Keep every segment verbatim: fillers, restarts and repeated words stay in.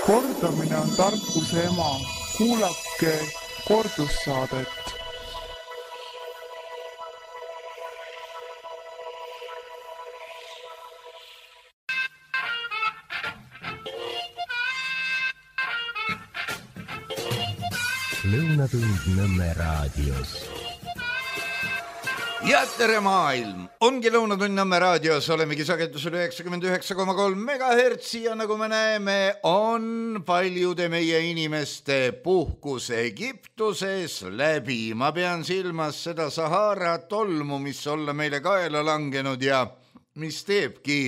Kordamine on tarkuse ema. Kuulake kordussaadet. Lõunatund Nõmme raadios. Ja tere maailm! Ongi Lõunatund Nõmme raadios, olemegi sagedusel üheksakümmend üheksa koma kolm megahertsi ja nagu me näeme, on paljude meie inimeste puhkus Egiptuses läbi. Ma pean silmas seda Sahara tolmu, mis olla meile kaela langenud ja mis teebki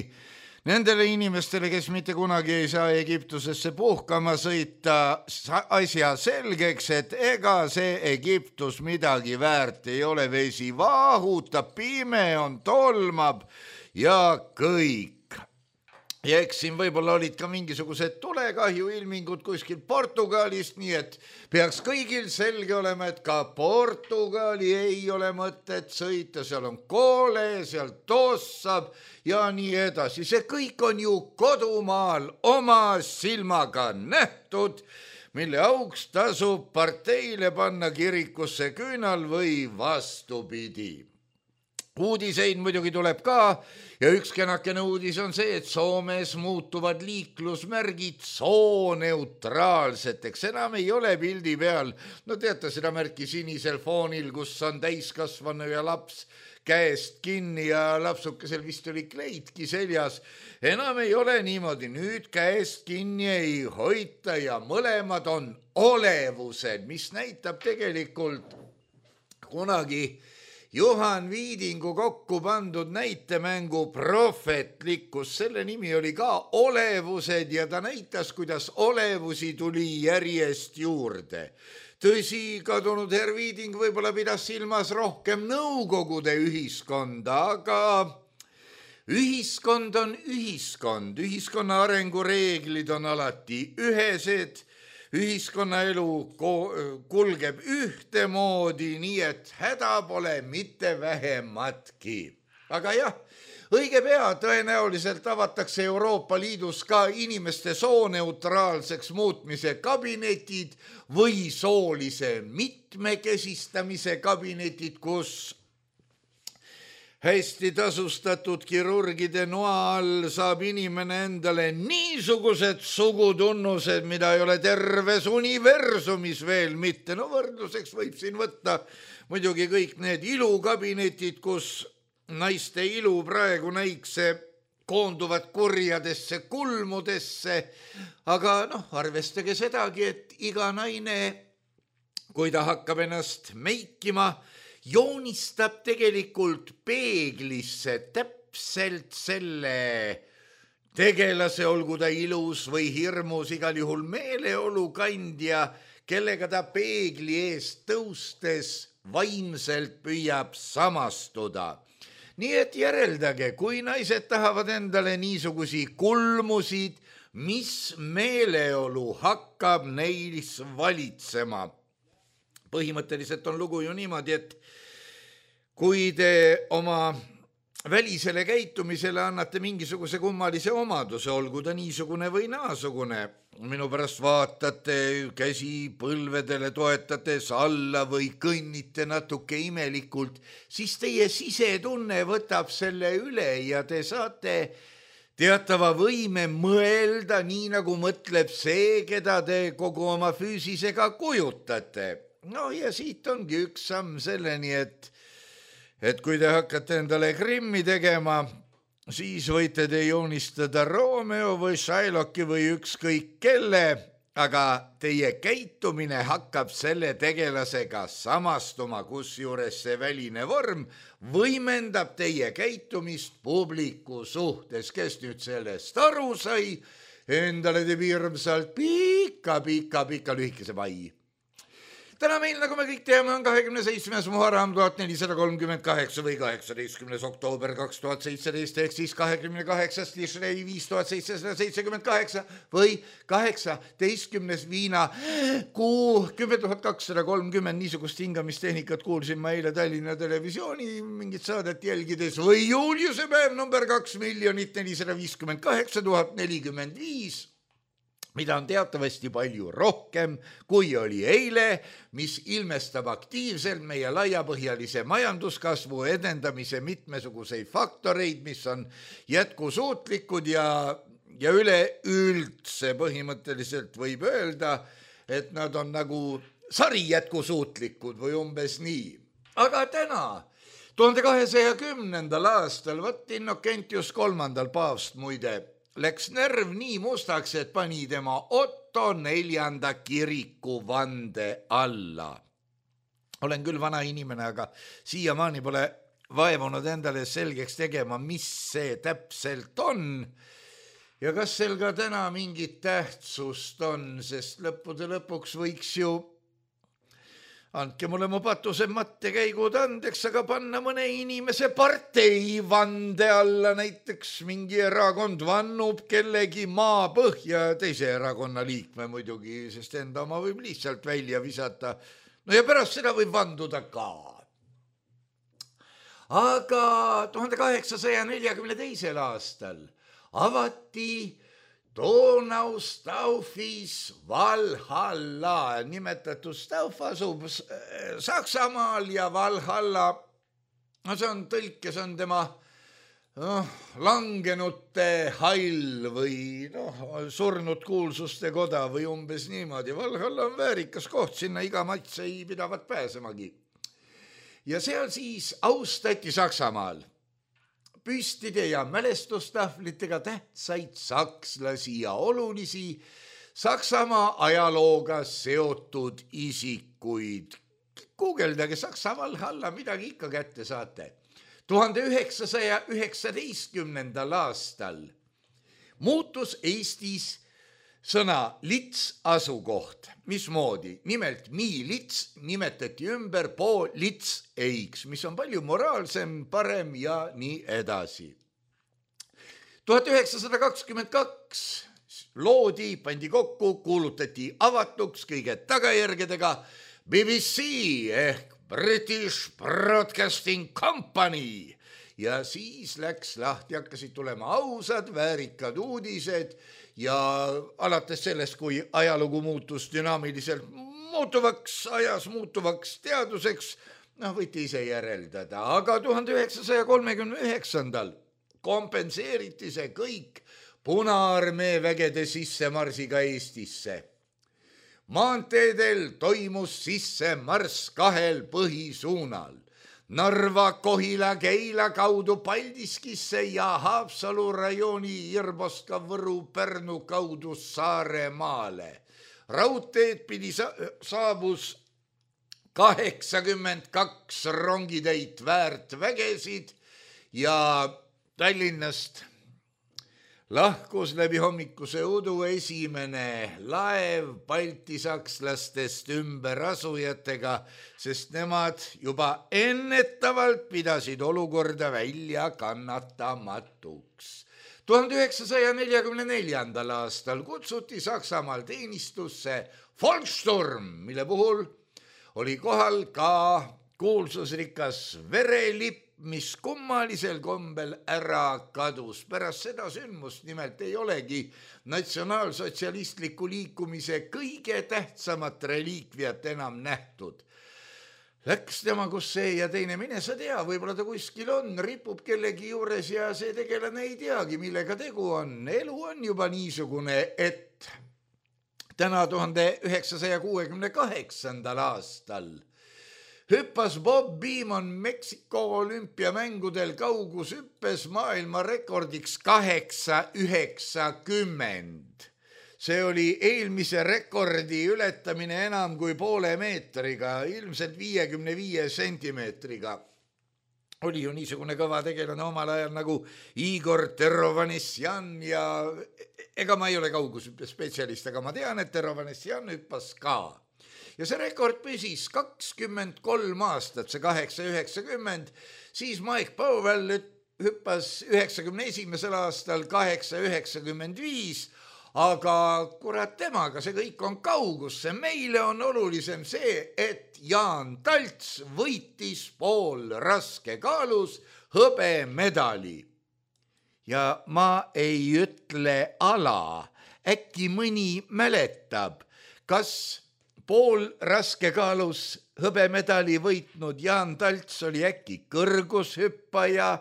nendele inimestele, kes mitte kunagi ei saa Egiptusesse puhkama sõita, asja selgeks, et ega see Egiptus midagi väärt ei ole. Vesi vahutab, pime on, tolmab ja kõik. Ja eks siin võib-olla olid ka mingisugused tulekahju ilmingud kuskil Portugalist, nii et peaks kõigil selge olema, et ka Portugali ei ole mõtet sõita, seal on koole, seal tossab ja nii edasi. See kõik on ju kodumaal oma silmaga nähtud, mille auks tasub parteile panna kirikusse küünal või vastupidi. Uudiseid muidugi tuleb ka ja üks kenakene uudis on see, et Soomes muutuvad liiklusmärgid sooneutraalseteks. Enam ei ole pildi peal, no teate seda märki sinisel foonil, kus on täiskasvanu ja laps käest kinni ja lapsukesel vist oli kleidki seljas. Enam ei ole niimoodi, nüüd käest kinni ei hoita ja mõlemad on olevused, mis näitab tegelikult kunagi Juhan Viidingu kokku pandud näitemängu Prohvetlikkus. Selle nimi oli ka Olevused ja ta näitas, kuidas olevusi tuli järjest juurde. Tõsi, kadunud herr Viiding võib-olla pidas silmas rohkem nõukogude ühiskonda, aga ühiskond on ühiskond. Ühiskonna arengureeglid on alati ühesed. Ühiskonnaelu kulgeb ühtemoodi, nii et häda pole mitte vähematki. Aga jah, õige pea tõenäoliselt avatakse Euroopa Liidus ka inimeste sooneutraalseks muutmise kabinetid või soolise mitmekesistamise kabinetid, kus hästi tasustatud kirurgide noa all saab inimene endale niisugused sugutunnused, mida ei ole terves universumis veel mitte. No võrdluseks võib siin võtta muidugi kõik need ilukabinetid, kus naiste ilu praegu näikse koonduvad kurjadesse kulmudesse. Aga noh, arvestage sedagi, et iga naine, kui ta hakkab ennast meikima, joonistab tegelikult peeglisse täpselt selle tegelase, olgu ta ilus või hirmus, igal juhul meeleolu kandja, kellega ta peegli eest tõustes vaimselt püüab samastuda. Nii et järeldage, kui naised tahavad endale niisugusi kulmusid, mis meeleolu hakkab neis valitsema. Põhimõtteliselt on lugu ju niimoodi, et kui te oma välisele käitumisele annate mingisuguse kummalise omaduse, olgu ta niisugune või naasugune, minu pärast vaatate käsi põlvedele toetates alla või kõnnite natuke imelikult, siis teie sisetunne võtab selle üle ja te saate teatava võime mõelda nii, nagu mõtleb see, keda te kogu oma füüsisega kujutate. No ja siit ongi üks samm selleni, et, et kui te hakkate endale Grimmi tegema, siis võite te joonistada Romeo või Shylocki või ükskõik kelle, aga teie käitumine hakkab selle tegelasega samastuma, kusjuures see väline vorm võimendab teie käitumist publiku suhtes, kes nüüd sellest aru sai, endale teeb hirmsalt pika, pika, pika lühikese pai. Täna meil, nagu me kõik teame, on kahekümne seitsmes Muharram tuhat nelisada kolmkümmend kaheksa või kaheksateistkümnes oktoober kaks tuhat seitseteist ehk siis kahekümne kaheksas Tishrei viis tuhat seitsesada seitsekümmend kaheksa või kaheksateistkümnes viina kuu kümme tuhat kakssada kolmkümmend. Niisugust hingamistehnikat kuulsin ma eile Tallinna Televisiooni mingit saadet jälgides või juuliuse päev number kaks miljonit nelisada viiskümmend kaheksa tuhat nelikümmend viis. mida on teatavasti palju rohkem, kui oli eile, mis ilmestab aktiivselt meie laiapõhjalise majanduskasvu edendamise mitmesuguseid faktoreid, mis on jätkusuutlikud ja, ja üleüldse põhimõtteliselt võib öelda, et nad on nagu sari jätkusuutlikud või umbes nii. Aga täna, tuhande kahesaja kümnendal aastal, võtt Innokentius kolmandal paavst muide, läks närv nii mustaks, et pani tema Otto neljanda kiriku vande alla. Olen küll vana inimene, aga siiamaani pole vaevunud endale selgeks tegema, mis see täpselt on. Ja kas sel ka täna mingit tähtsust on, sest lõppude lõpuks võiks ju, andke mulle mu patused mattekäigud andeks, aga panna mõne inimese partei vande alla, näiteks mingi erakond vannub kellegi maapõhja, teise erakonna liikme muidugi, sest enda oma võib lihtsalt välja visata. No ja pärast seda võib vanduda ka. Aga tuhande kaheksasaja neljakümne teisel aastal avati Donau Staufis Valhalla, nimetatud Stauf asub Saksamaal ja Valhalla, no see on tõlkes on tema no, langenute hall või no, surnud kuulsuste koda või umbes niimoodi. Valhalla on väärikas koht, sinna iga mats ei pidavat pääsemagi. Ja seal siis austati Saksamaal püstide ja mälestustahvlitega tähtsaid sakslasi ja olulisi Saksamaa ajalooga seotud isikuid. Guugeldage Saksa Valhalla, midagi ikka kätte saate. tuhande üheksasaja üheksateistkümnendal aastal muutus Eestis sõna lits asukoht. Mismoodi? Nimelt mi-lits nimetati ümber po lits eiks, mis on palju moraalsem, parem ja nii edasi. tuhat üheksasada kakskümmend kaks loodi, pandi kokku, kuulutati avatuks kõige tagajärgedega B B C ehk British Broadcasting Company. Ja siis läks lahti, hakkasid tulema ausad, väärikad uudised ja alates sellest, kui ajalugu muutus dünaamiliselt muutuvaks, ajas muutuvaks teaduseks, noh, võite ise järeldada, aga tuhande üheksasaja kolmekümne üheksandal kompenseeriti see kõik Punaarmee vägede sissemarsiga Eestisse. Maanteedel toimus sissemarss kahel põhisuunal. Narva, Kohila, Keila kaudu Paldiskisse ja Haapsalu rajooni Irboska, Võru, Pärnu kaudu Saaremaale. Raudteed pidi sa- saabus kaheksakümmend kaks rongitäit väärt vägesid ja Tallinnast lahkus läbi hommikuse udu esimene laev baltisakslastest ümberasujatega, sest nemad juba ennetavalt pidasid olukorda välja kannatamatuks. tuhande üheksasaja neljakümne neljandal aastal kutsuti Saksamaal teenistusse Volkssturm, mille puhul oli kohal ka kuulsusrikas verelipp, mis kummalisel kombel ära kadus. Pärast seda sündmust nimelt ei olegi natsionaalsotsialistliku liikumise kõige tähtsamat reliikviat enam nähtud. Läks tema kus see ja teine, mine sa tea, võib-olla ta kuskil on, ripub kellegi juures ja see tegelane ei teagi, millega tegu on. Elu on juba niisugune, et täna tuhande üheksasaja kuuekümne kaheksandal aastal hüppas Bob Beamon Meksiko olümpiamängudel kaugushüppes maailmarekordiks kaheksa üheksakümmend. See oli eelmise rekordi ületamine enam kui poole meetriga, ilmselt viiekümne viie sentimeetriga. Oli ju niisugune kõva tegelane omal ajal nagu Igor Terovanesjan ja ega ma ei ole kaugushüppe spetsialist, aga ma tean, et Terovanesjan hüppas ka. Ja see rekord püsis kakskümmend kolm aastat, see kaheksa üheksakümmend, siis Mike Powell hüppas üheksakümne esimesel aastal kaheksa üheksakümmend viis, aga kurat temaga, see kõik on kaugusse. Meile on olulisem see, et Jaan Talts võitis pool raske kaalus hõbemedali. Ja ma ei ütle ala, äkki mõni mäletab, kas pool raskekaalus hõbemedali võitnud Jaan Talts oli äkki kõrgushüppaja,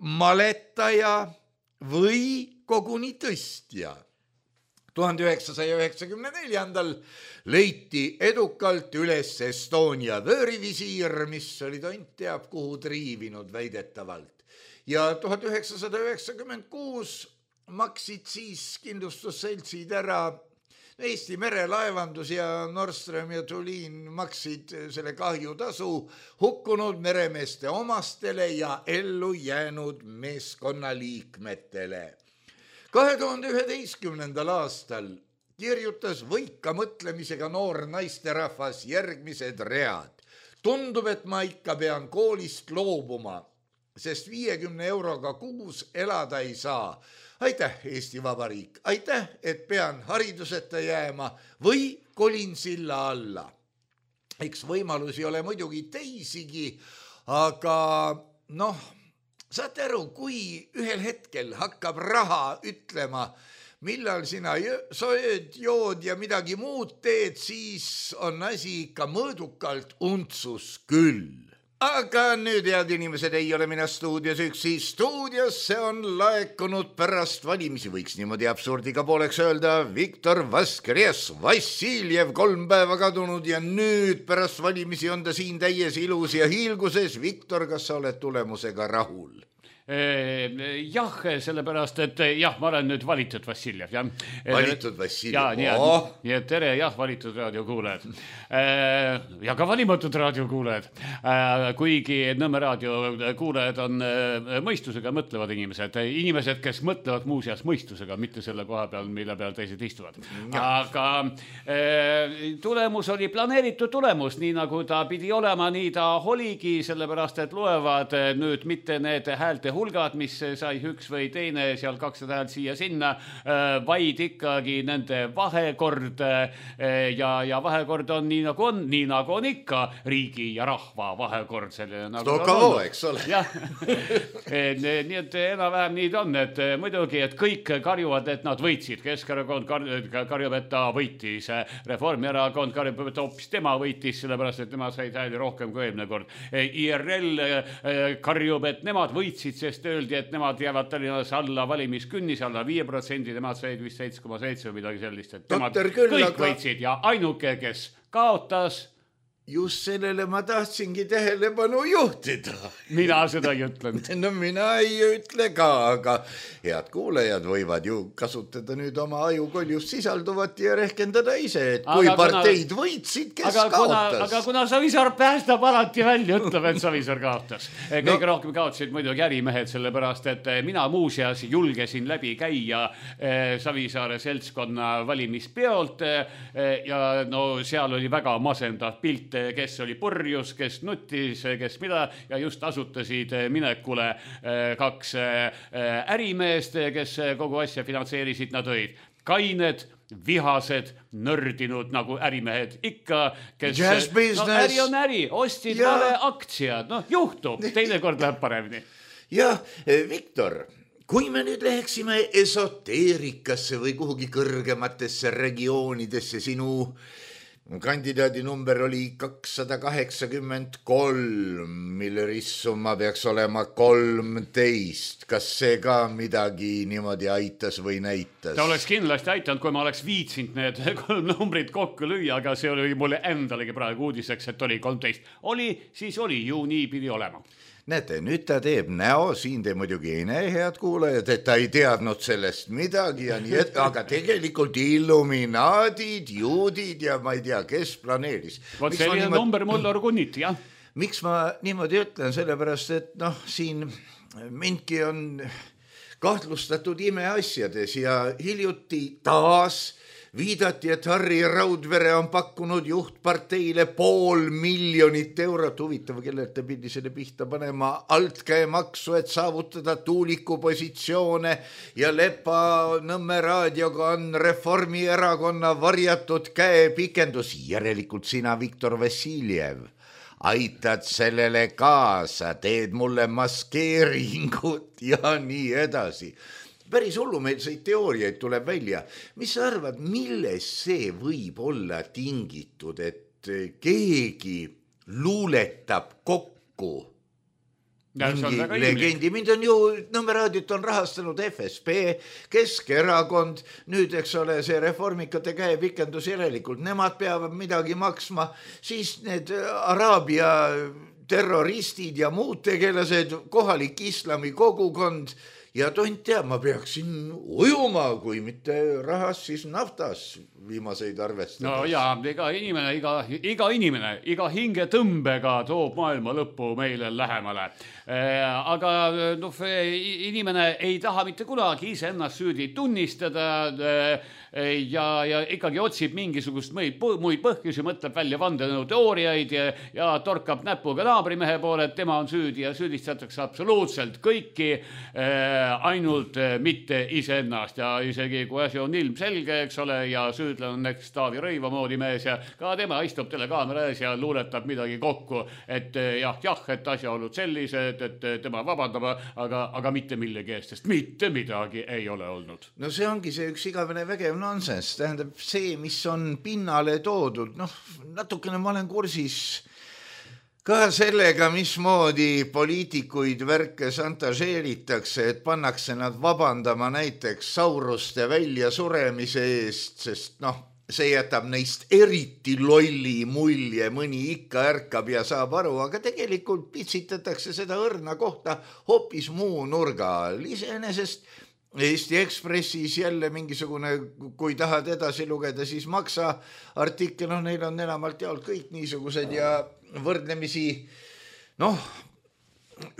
maletaja või koguni tõstja. tuhande üheksasaja üheksakümne neljandal leiti edukalt üles Estonia vöörivisiir, mis oli tont teab kuhu triivinud väidetavalt. Ja tuhat üheksasada üheksakümmend kuus maksid siis kindlustusseltsid ära Eesti merelaevandus ja Nordström ja Tulin maksid selle kahjutasu hukkunud meremeeste omastele ja ellu jäänud meeskonnaliikmetele. kahe tuhande üheteistkümnendal aastal kirjutas võika mõtlemisega noor naisterahvas järgmised read. Tundub, et ma ikka pean koolist loobuma, sest viiekümne euroga kuus elada ei saa. Aitäh, Eesti Vabariik, aitäh, et pean hariduseta jääma või kolin silla alla. Eks võimalusi ole muidugi teisigi, aga noh, saate aru, kui ühel hetkel hakkab raha ütlema, millal sina sööd, jood ja midagi muud teed, siis on asi ikka mõõdukalt untsus küll. Aga nüüd, head inimesed, ei ole mina stuudios üksi. Stuudiosse on laekunud pärast valimisi, võiks niimoodi absurdiga pooleks öelda, Viktor Vaskres Vassiljev, kolm päeva kadunud ja nüüd pärast valimisi on ta siin täies ilus ja hiilguses. Viktor, kas sa oled tulemusega rahul? Jah, sellepärast, et jah, ma olen nüüd valitud Vassiljev, jah. Valitud Vassiljev, ja, nii, oh! Nii et tere, jah, valitud raadiokuulajad. Ja ka valimatud raadiokuulajad. Kuigi Nõmme raadiokuulajad on mõistusega mõtlevad inimesed. Inimesed, kes mõtlevad muuseas mõistusega, mitte selle koha peal, mille peal teised istuvad. Aga tulemus oli planeeritud tulemus, nii nagu ta pidi olema, nii ta oligi, sellepärast, et loevad nüüd mitte need häälte hulgad, mis sai üks või teine seal kakssada häält siia sinna, vaid ikkagi nende vahekord ja, ja vahekord on nii nagu on, nii nagu on ikka riigi ja rahva vahekord. Nagu Stokavo, eks ole. Jah, nii et enam-vähem nii on, et muidugi, et kõik karjuvad, et nad võitsid. Keskerakond karjub, et ta võitis. Reformierakond karjub, et hoopis tema võitis, sellepärast, et tema said hääli rohkem kui eelmine kord. I R L karjub, et nemad võitsid, sest öeldi, et nemad jäävad Tallinnas alla valimiskünnis, alla viie protsendi, nemad said vist seitse koma seitse või midagi sellist, et nemad küll, kõik aga... võitsid ja ainuke, kes kaotas. Just sellele ma tahtsingi tähelepanu juhtida. Mina seda ei ütlenud. No mina ei ütle ka, aga head kuulajad võivad ju kasutada nüüd oma ajukoljust sisalduvat ja rehkendada ise, et kui aga parteid kuna... võitsid, kes aga kaotas. Kuna, aga kuna Savisaar päästab alati välja, ütleb, et Savisaar kaotas. Kõige no. rohkem kaotasid muidugi ärimehed, sellepärast, et mina muuseas julgesin läbi käia Savisaare seltskonna valimispeolt ja no seal oli väga masendav pilt, kes oli purjus, kes nutis, kes mida ja just asutasid minekule kaks ärimeest, kes kogu asja finantseerisid, nad olid kained, vihased, nördinud nagu ärimehed ikka, kes no, äri on äri, ostsid ja. Vale aktsiad, noh juhtub, teine kord läheb paremini. Jah, Viktor, kui me nüüd läheksime esoteerikasse või kuhugi kõrgematesse regioonidesse, sinu kandidaadi number oli kakssada kaheksakümmend kolm, mille ristsumma peaks olema kolmteist. Kas see ka midagi niimoodi aitas või näitas? Ta oleks kindlasti aitanud, kui ma oleks viitsinud need kolm numbrit kokku lüüa, aga see oli mulle endalegi praegu uudiseks, et oli kolmteist. Oli, siis oli, ju nii pidi olema. Näete, nüüd ta teeb näo, siin te muidugi ei näe, head kuulajad, et ta ei teadnud sellest midagi ja nii, et, aga tegelikult illuminaadid, juudid ja ma ei tea, kes planeeris. Vot selline niimoodi... number mul orgunniti, jah. Miks ma niimoodi ütlen, sellepärast, et noh, siin mindki on kahtlustatud imeasjades ja hiljuti taas viidati, et Harri Raudvere on pakkunud juhtparteile pool miljonit eurot. Huvitav, kellelt ta pidi selle pihta panema altkäemaksu, et saavutada tuuliku positsioone ja Lepa Nõmme raadioga on Reformierakonna varjatud käepikendus. Järelikult sina, Viktor Vassiljev, aitad sellele kaasa, teed mulle maskeeringut ja nii edasi. päris hullumeelseid teooriaid tuleb välja. Mis sa arvad, milles see võib olla tingitud, et keegi luuletab kokku mingi legendi, mind on ju Nõmme raadiot on rahastanud F S B, Keskerakond, nüüd eks ole see reformikate käepikendus järelikult, nemad peavad midagi maksma, siis need Araabia terroristid ja muud tegelased, kohalik islami kogukond ja tont teab, ma peaksin ujuma, kui mitte rahas, siis naftas viimaseid arvestades. No jaa, iga inimene, iga, iga inimene, iga hingetõmbega toob maailma lõppu meile lähemale. Aga no, inimene ei taha mitte kunagi ise ennast süüdi tunnistada ja, ja ikkagi otsib mingisugust muid, muid põhjusi, mõtleb välja vandenõu teooriaid ja, ja torkab näpuga naabrimehe poole, et tema on süüdi ja süüdistatakse absoluutselt kõiki, ainult mitte iseennast ja isegi kui asi on ilmselge, eks ole, ja süüdlane on näiteks Taavi Rõiva moodi mees ja ka tema istub telekaamera ees ja luuletab midagi kokku, et jah, jah, et asjaolud sellised, et tema vabandab, aga, aga mitte millegi eest, sest mitte midagi ei ole olnud. No see ongi see üks igavene vägev nonsense, tähendab see, mis on pinnale toodud, noh, natukene ma olen kursis ka sellega, mismoodi poliitikuid värke santažeeritakse, et pannakse nad vabandama näiteks sauruste välja suremise eest, sest noh, see jätab neist eriti lolli mulje, mõni ikka ärkab ja saab aru, aga tegelikult pitsitatakse seda õrna kohta hoopis muu nurga all. Iseenesest Eesti Ekspressis jälle mingisugune, kui tahad edasi lugeda, siis maksa artikkel, no neil on enamalt jaolt kõik niisugused ja võrdlemisi, noh,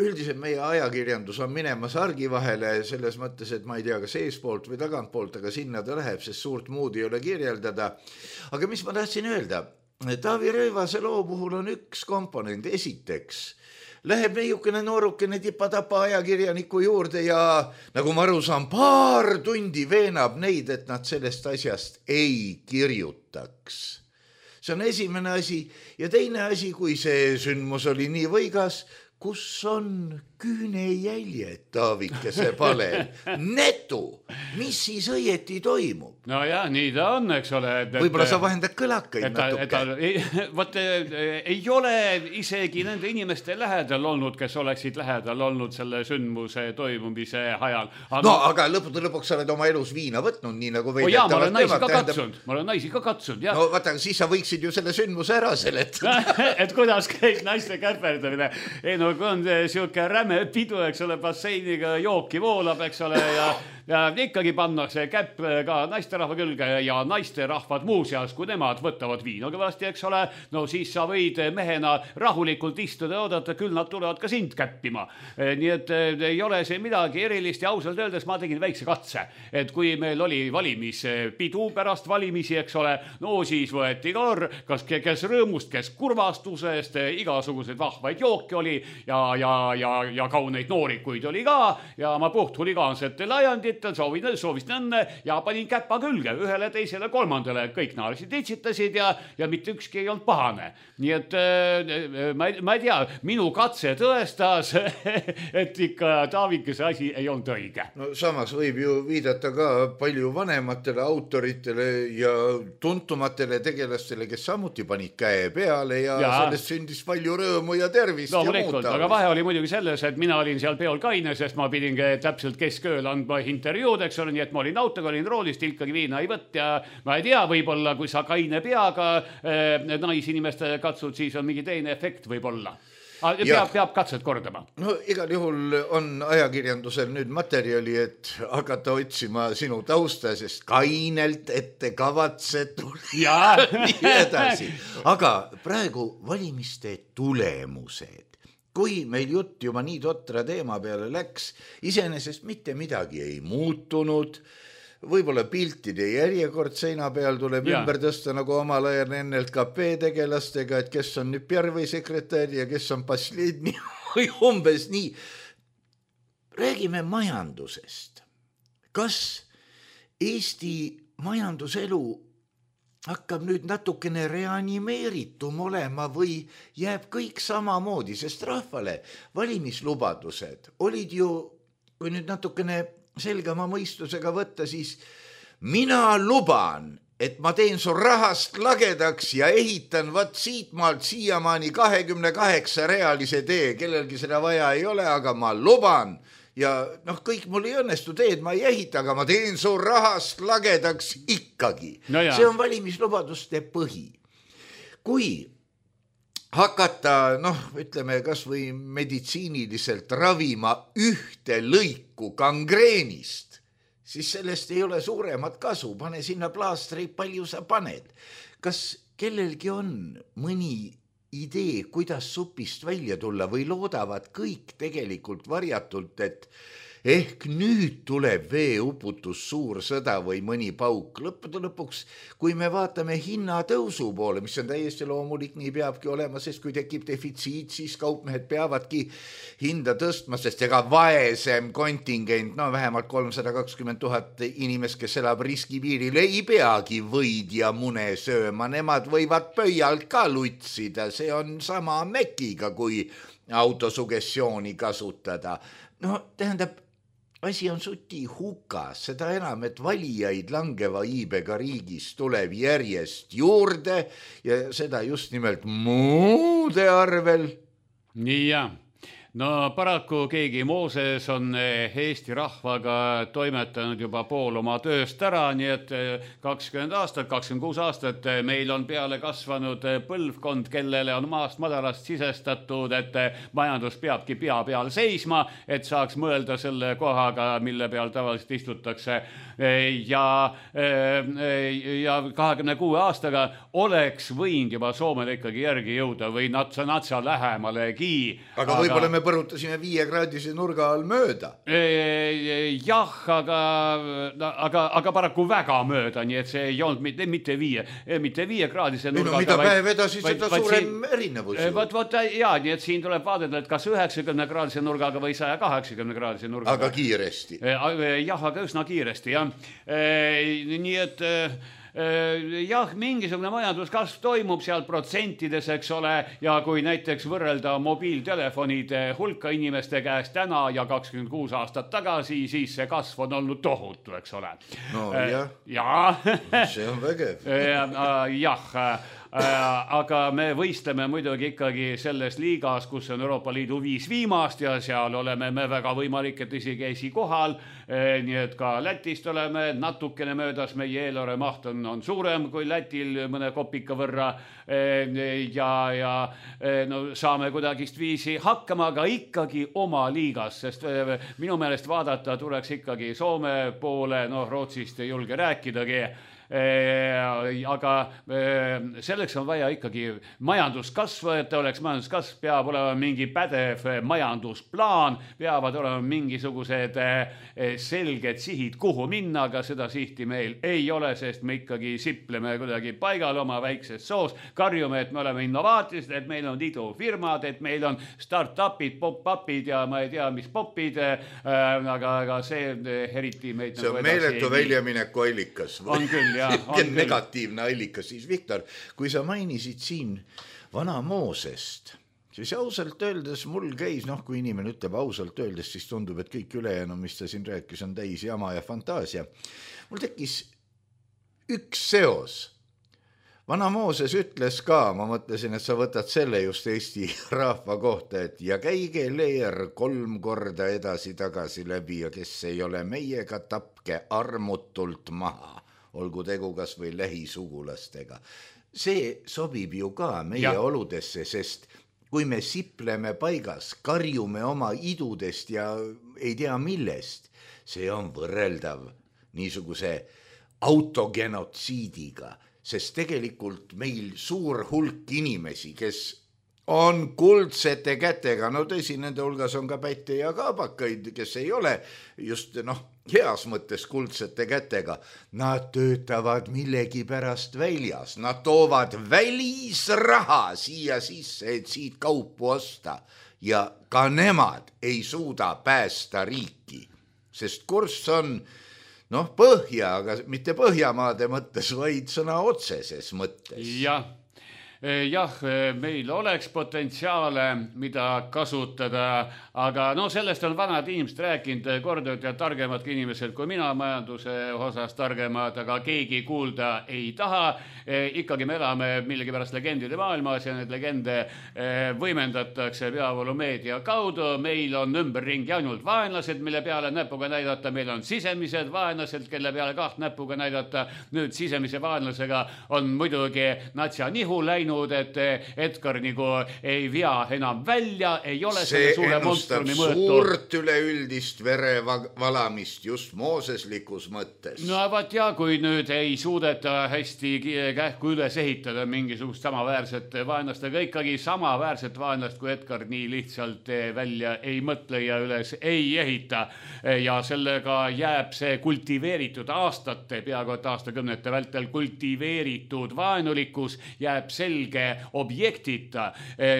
üldiselt meie ajakirjandus on minemas argi vahele selles mõttes, et ma ei tea, kas eespoolt või tagantpoolt, aga sinna ta läheb, sest suurt muud ei ole kirjeldada. Aga mis ma tahtsin öelda? Taavi Rõivase loo puhul on üks komponent. Esiteks läheb neiukene noorukene tipa-tapa ajakirjaniku juurde ja nagu ma aru saan, paar tundi veenab neid, et nad sellest asjast ei kirjutaks. See on esimene asi ja teine asi, kui see sündmus oli nii võigas, kus on küünejäljed Taavikese palel. Netu, mis siis õieti toimub? No jah, nii ta on, eks ole. Et, võib-olla sa vahendad kõlakaid et, natuke. Et, võt, ei ole isegi nende inimeste lähedal olnud, kes oleksid lähedal olnud selle sündmuse toimumise ajal. Aga... No, aga lõpuks, lõpuks sa oled oma elus viina võtnud, nii nagu või... Oh, jaa, ma olen naisi ka katsunud. Ma olen naisi ka katsunud, jah. No vaata, siis sa võiksid ju selle sündmuse ära seletada. Et kuidas käib naiste käperdamine. Ei, no kui on siuke räme pidu, eks ole, basseiniga jooki voolab, eks ole, ja, ja ikkagi pannakse käpp ka naisterahva külge ja naisterahvad muuseas, kui nemad võtavad viina kõvasti, eks ole, no siis sa võid mehena rahulikult istuda ja oodata, küll nad tulevad ka sind käppima. Nii et ei ole see midagi erilist ja ausalt öeldes ma tegin väikse katse, et kui meil oli valimispidu pärast valimisi, eks ole, no siis võeti kor, kas kes rõõmust, kes kurvastusest, igasugused vahvaid jooki oli ja, ja, ja, ja kauneid noorikuid oli ka ja ma puht huligaansetel ajanditel soovin, soovisin õnne ja panin käpa külge ühele, teisele, kolmandale, kõik naarsid, itsitasid ja, ja mitte ükski ei olnud pahane. Nii et ma ei, ma ei tea, minu katse tõestas, et ikka Taavikese asi ei olnud õige. No samas võib ju viidata ka palju vanematele autoritele ja tuntumatele tegelastele, kes samuti panid käe peale ja, ja. sellest sündis palju rõõmu ja tervist no, ja muuta. Aga vahe oli muidugi selles, et mina olin seal peol kaine, sest ma pidin täpselt keskööl andma intervjuud, eks ole, nii et ma olin autoga, olin roolist, ikkagi viina ei võtt ja ma ei tea, võib-olla kui sa kaine peaga eh, naisinimeste katsud, siis on mingi teine efekt võib-olla. Peab, peab katset kordama. No igal juhul on ajakirjandusel nüüd materjali, et hakata otsima sinu tausta, sest kainelt ette kavatsetul ja nii edasi. Aga praegu valimiste tulemused. Kui meil jutt juba nii totra teema peale läks, iseenesest mitte midagi ei muutunud, võib-olla piltide järjekord seina peal tuleb ja. ümber tõsta nagu omal ajal N L K P tegelastega, et kes on nüüd Pjärvi sekretär ja kes on Pasledni või umbes nii. Räägime majandusest. Kas Eesti majanduselu hakkab nüüd natukene reanimeeritum olema või jääb kõik samamoodi, sest rahvale valimislubadused olid ju, kui nüüd natukene selgema mõistusega võtta, siis mina luban, et ma teen su rahast lagedaks ja ehitan vat siit maalt siiamaani kahekümne kaheksa reaalise tee. Kellelgi seda vaja ei ole, aga ma luban. Ja noh, kõik mul ei õnnestu teed, ma ei ehita, aga ma teen su rahast lagedaks ikkagi. No see on valimislubaduste põhi. Kui hakata, noh, ütleme kas või meditsiiniliselt ravima ühte lõiku gangreenist, siis sellest ei ole suuremat kasu. Pane sinna plaastri, palju sa paned. Kas kellelgi on mõni idee, kuidas supist välja tulla või loodavad kõik tegelikult varjatult, et ehk nüüd tuleb veeuputus, suur sõda või mõni pauk. Lõppude lõpuks, kui me vaatame hinnatõusu poole, mis on täiesti loomulik, nii peabki olema, sest kui tekib defitsiit, siis kaupmehed peavadki hinda tõstma, sest ega vaesem kontingent, no vähemalt kolmsada kakskümmend tuhat inimest, kes elab riskipiiril, ei peagi võid ja mune sööma. Nemad võivad pöialt ka lutsida, see on sama mekiga, kui autosugessiooni kasutada. No tähendab, asi on suti hukas, seda enam, et valijaid langeva iibega riigis tuleb järjest juurde ja seda just nimelt muude arvel. Nii ja. No paraku keegi Mooses on Eesti rahvaga toimetanud juba pool oma tööst ära, nii et kakskümmend aastat, kakskümmend kuus aastat meil on peale kasvanud põlvkond, kellele on maast madalast sisestatud, et majandus peabki pea peal seisma, et saaks mõelda selle kohaga, mille peal tavaliselt istutakse. Ja, ja kahekümne kuue aastaga oleks võinud juba Soomele ikkagi järgi jõuda või natsa natsa lähemalegi. Aga, aga võib-olla me põrutasime viiekraadise nurga all mööda. Jah, aga, aga, aga paraku väga mööda, nii et see ei olnud mitte, mitte, viie, mitte viiekraadise nurga. No, mida päev edasi, seda suurem siin, erinevus. Võt, võt, jaa, nii et siin tuleb vaadata, et kas üheksakümne kraadise nurgaga või saja kaheksakümne kraadise nurgaga. Aga kiiresti. Jah, aga üsna kiiresti, jah. Nii et jah, mingisugune majanduskasv toimub seal protsentides, eks ole, ja kui näiteks võrrelda mobiiltelefonide hulka inimeste käest täna ja kakskümmend kuus aastat tagasi, siis see kasv on olnud tohutu, eks ole. No jah, ja. see on vägev. Jah, aga me võistleme muidugi ikkagi selles liigas, kus on Euroopa Liidu viis viimast ja seal oleme me väga võimalik, et isegi esikohal, nii et ka Lätist oleme natukene möödas, meie eelarve maht on, on suurem kui Lätil mõne kopika võrra ja, ja no, saame kuidagist viisi hakkama, aga ikkagi oma liigas, sest minu meelest vaadata tuleks ikkagi Soome poole, noh Rootsist ei julge rääkidagi, aga selleks on vaja ikkagi majanduskasv, et oleks majanduskasv, peab olema mingi pädev majandusplaan, peavad olema mingisugused selged sihid, kuhu minna, aga seda sihti meil ei ole, sest me ikkagi sipleme kuidagi paigal oma väikses soos, karjume, et me oleme innovaatilised, et meil on idufirmad, et meil on start-upid, pop-upid ja ma ei tea, mis popid, aga, aga see eriti meid see on nagu meeletu väljamineku allikas. On küll, jah. negatiivne allikas, siis Viktor, kui sa mainisid siin vana Moosest, siis ausalt öeldes mul käis, noh kui inimene ütleb ausalt öeldes, siis tundub, et kõik ülejäänu, mis ta siin rääkis, on täis jama ja fantaasia. Mul tekkis üks seos. Vana Mooses ütles ka, ma mõtlesin, et sa võtad selle just Eesti rahva kohta, et ja käige leer kolm korda edasi-tagasi läbi ja kes ei ole meiega, tapke armutult maha. Olgu tegu kas või lähisugulastega. See sobib ju ka meie ja. Oludesse, sest kui me sipleme paigas, karjume oma idudest ja ei tea millest, see on võrreldav niisuguse autogenotsiidiga, sest tegelikult meil suur hulk inimesi, kes on kuldsete kätega, no tõsi, nende hulgas on ka pätte ja kaabakaid, kes ei ole just noh, heas mõttes kuldsete kätega. Nad töötavad millegi pärast väljas, nad toovad välisraha siia sisse, et siit kaupu osta ja ka nemad ei suuda päästa riiki, sest kurss on noh, põhja, aga mitte Põhjamaade mõttes, vaid sõna otseses mõttes. Jah. jah, meil oleks potentsiaale, mida kasutada, aga no sellest on vanad inimesed rääkinud korduvalt ja targemad inimesed kui mina majanduse osas targemad, aga keegi kuulda ei taha. Ikkagi me elame millegipärast legendide maailmas ja need legende võimendatakse peavoolumeedia kaudu. Meil on ümberringi ainult vaenlased, mille peale näpuga näidata. Meil on sisemised vaenlased, kelle peale kaht näpuga näidata. Nüüd sisemise vaenlasega on muidugi natsia nihu läinud, et Edgar nagu ei vea enam välja, ei ole see ennustab suurt üleüldist verevalamist just mooseslikus mõttes. No vaat ja, kui nüüd ei suudeta hästi kähku üles ehitada mingisugust samaväärset vaenlast, aga ikkagi samaväärset vaenlast, kui Edgar nii lihtsalt välja ei mõtle ja üles ei ehita. Ja sellega jääb see kultiveeritud aastate, peaaegu et aastakümnete vältel kultiveeritud vaenulikkus jääb selge objektita,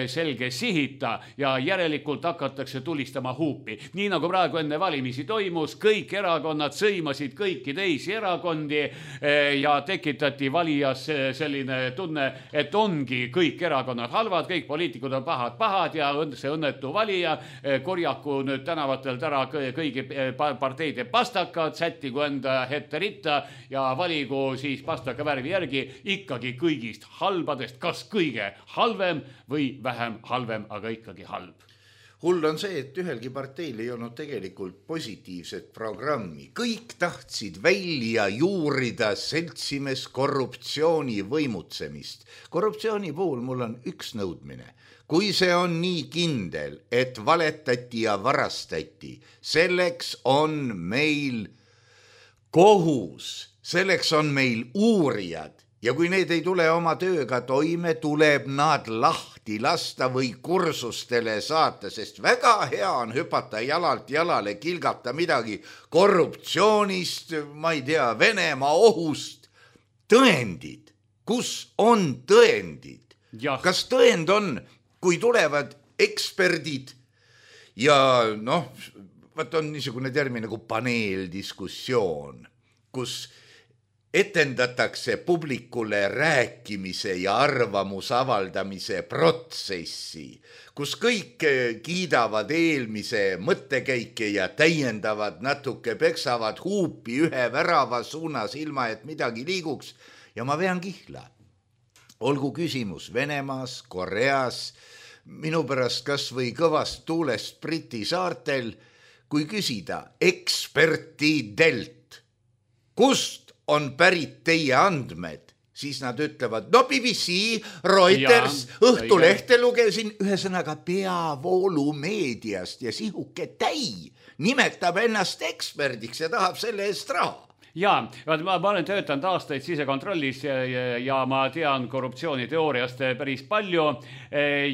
selge sihita ja järelikult hakatakse tulistama huupi. Nii nagu praegu enne valimisi toimus, kõik erakonnad sõimasid kõiki teisi erakondi ja tekitati valijas selline tunne, et ongi kõik erakonnad halvad, kõik poliitikud on pahad pahad ja see õnnetu valija korjaku nüüd tänavatelt ära kõigi parteide pastakad, sättigu enda ette ritta ja valigu siis pastaka värvi järgi ikkagi kõigist halbadest, kas kõige halvem või vähem halvem, aga ikkagi halb. Hull on see, et ühelgi parteil ei olnud tegelikult positiivset programmi. Kõik tahtsid välja juurida seltsimees korruptsiooni võimutsemist. Korruptsiooni puhul mul on üks nõudmine. Kui see on nii kindel, et valetati ja varastati, selleks on meil kohus, selleks on meil uurijad. Ja kui need ei tule oma tööga toime, tuleb nad lahti lasta või kursustele saata, sest väga hea on hüpata jalalt jalale, kilgata midagi korruptsioonist, ma ei tea, Venemaa ohust. Tõendid, kus on tõendid? Ja. Kas tõend on, kui tulevad eksperdid ja noh, võt on niisugune termin nagu paneeldiskussioon, kus etendatakse publikule rääkimise ja arvamuse avaldamise protsessi, kus kõik kiidavad eelmise mõttekäike ja täiendavad natuke, peksavad huupi ühe värava suunas ilma, et midagi liiguks. Ja ma vean kihla. Olgu küsimus Venemaas, Koreas, minu pärast kas või kõvast tuulest Briti saartel, kui küsida ekspertidelt, kust on pärit teie andmed, siis nad ütlevad, no B B C, Reuters, Õhtulehte lugesin, ühesõnaga peavoolumeediast ja sihuke täi nimetab ennast eksperdiks ja tahab selle eest raha. Jaa, ma olen töötanud aastaid sisekontrollis ja, ja, ja ma tean korruptsiooniteooriast päris palju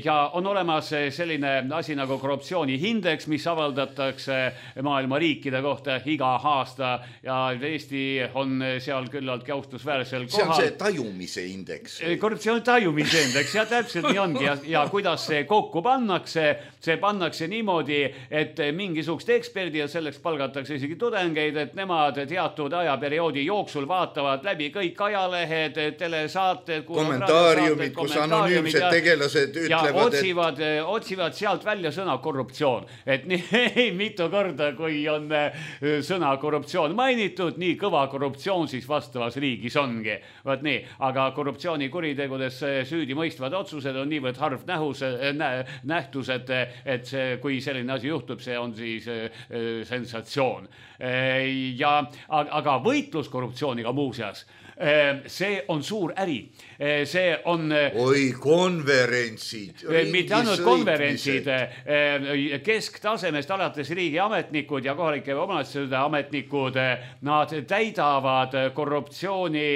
ja on olemas selline asi nagu korruptsioonihindeks, mis avaldatakse maailma riikide kohta iga aasta ja Eesti on seal küllalt austusväärsel kohal. See on see tajumise indeks. Korruptsiooni tajumise indeks, ja täpselt nii ongi ja, ja kuidas see kokku pannakse, see pannakse niimoodi, et mingisugust eksperdi ja selleks palgatakse isegi tudengeid, et nemad teatud aja perioodi jooksul vaatavad läbi kõik ajalehed, telesaated, kommentaariumid, kus anonüümsed tegelased ütlevad, ja otsivad, et... otsivad sealt välja sõna korruptsioon. Et nii mitu korda, kui on sõna korruptsioon mainitud, nii kõva korruptsioon siis vastavas riigis ongi. Vaat nii, aga korruptsioonikuritegudes süüdi mõistvad otsused on niivõrd harv nähus, nähtus, et, et see, kui selline asi juhtub, see on siis sensatsioon. Ja, aga võitlus korruptsiooniga muuseas, see on suur äri. See on... Oi, konverentsid. Mitte ainult konverentsid, kesktasemest alates riigi ametnikud ja kohalike omavalitsuste ametnikud, nad täidavad korruptsiooni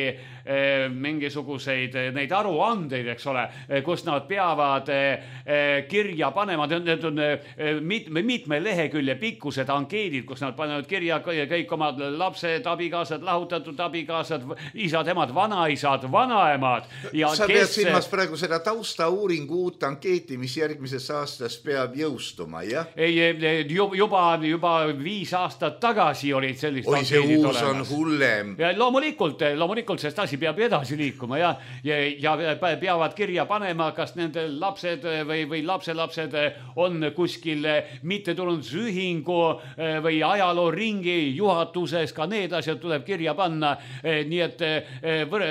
mingisuguseid neid aruandeid, eks ole, kus nad peavad kirja panema, need on mitme, mitme lehekülje pikkused ankeedid, kus nad panevad kirja kõik omad lapsed, abikaasad, lahutatud abikaasad, isad, emad, vanaisad, vanaemad. Ja sa pead kes... silmas praegu seda taustauuringu uut ankeeti, mis järgmises aastas peab jõustuma, jah? Ei, juba, juba viis aastat tagasi olid sellist Oi, see uus olemas. On hullem. Ja loomulikult, loomulikult, sest asi asi peab edasi liikuma ja, ja, ja peavad kirja panema, kas nende lapsed või, või lapselapsed on kuskil mittetulundusühingu või ajalooringi juhatuses, ka need asjad tuleb kirja panna. Nii et võr,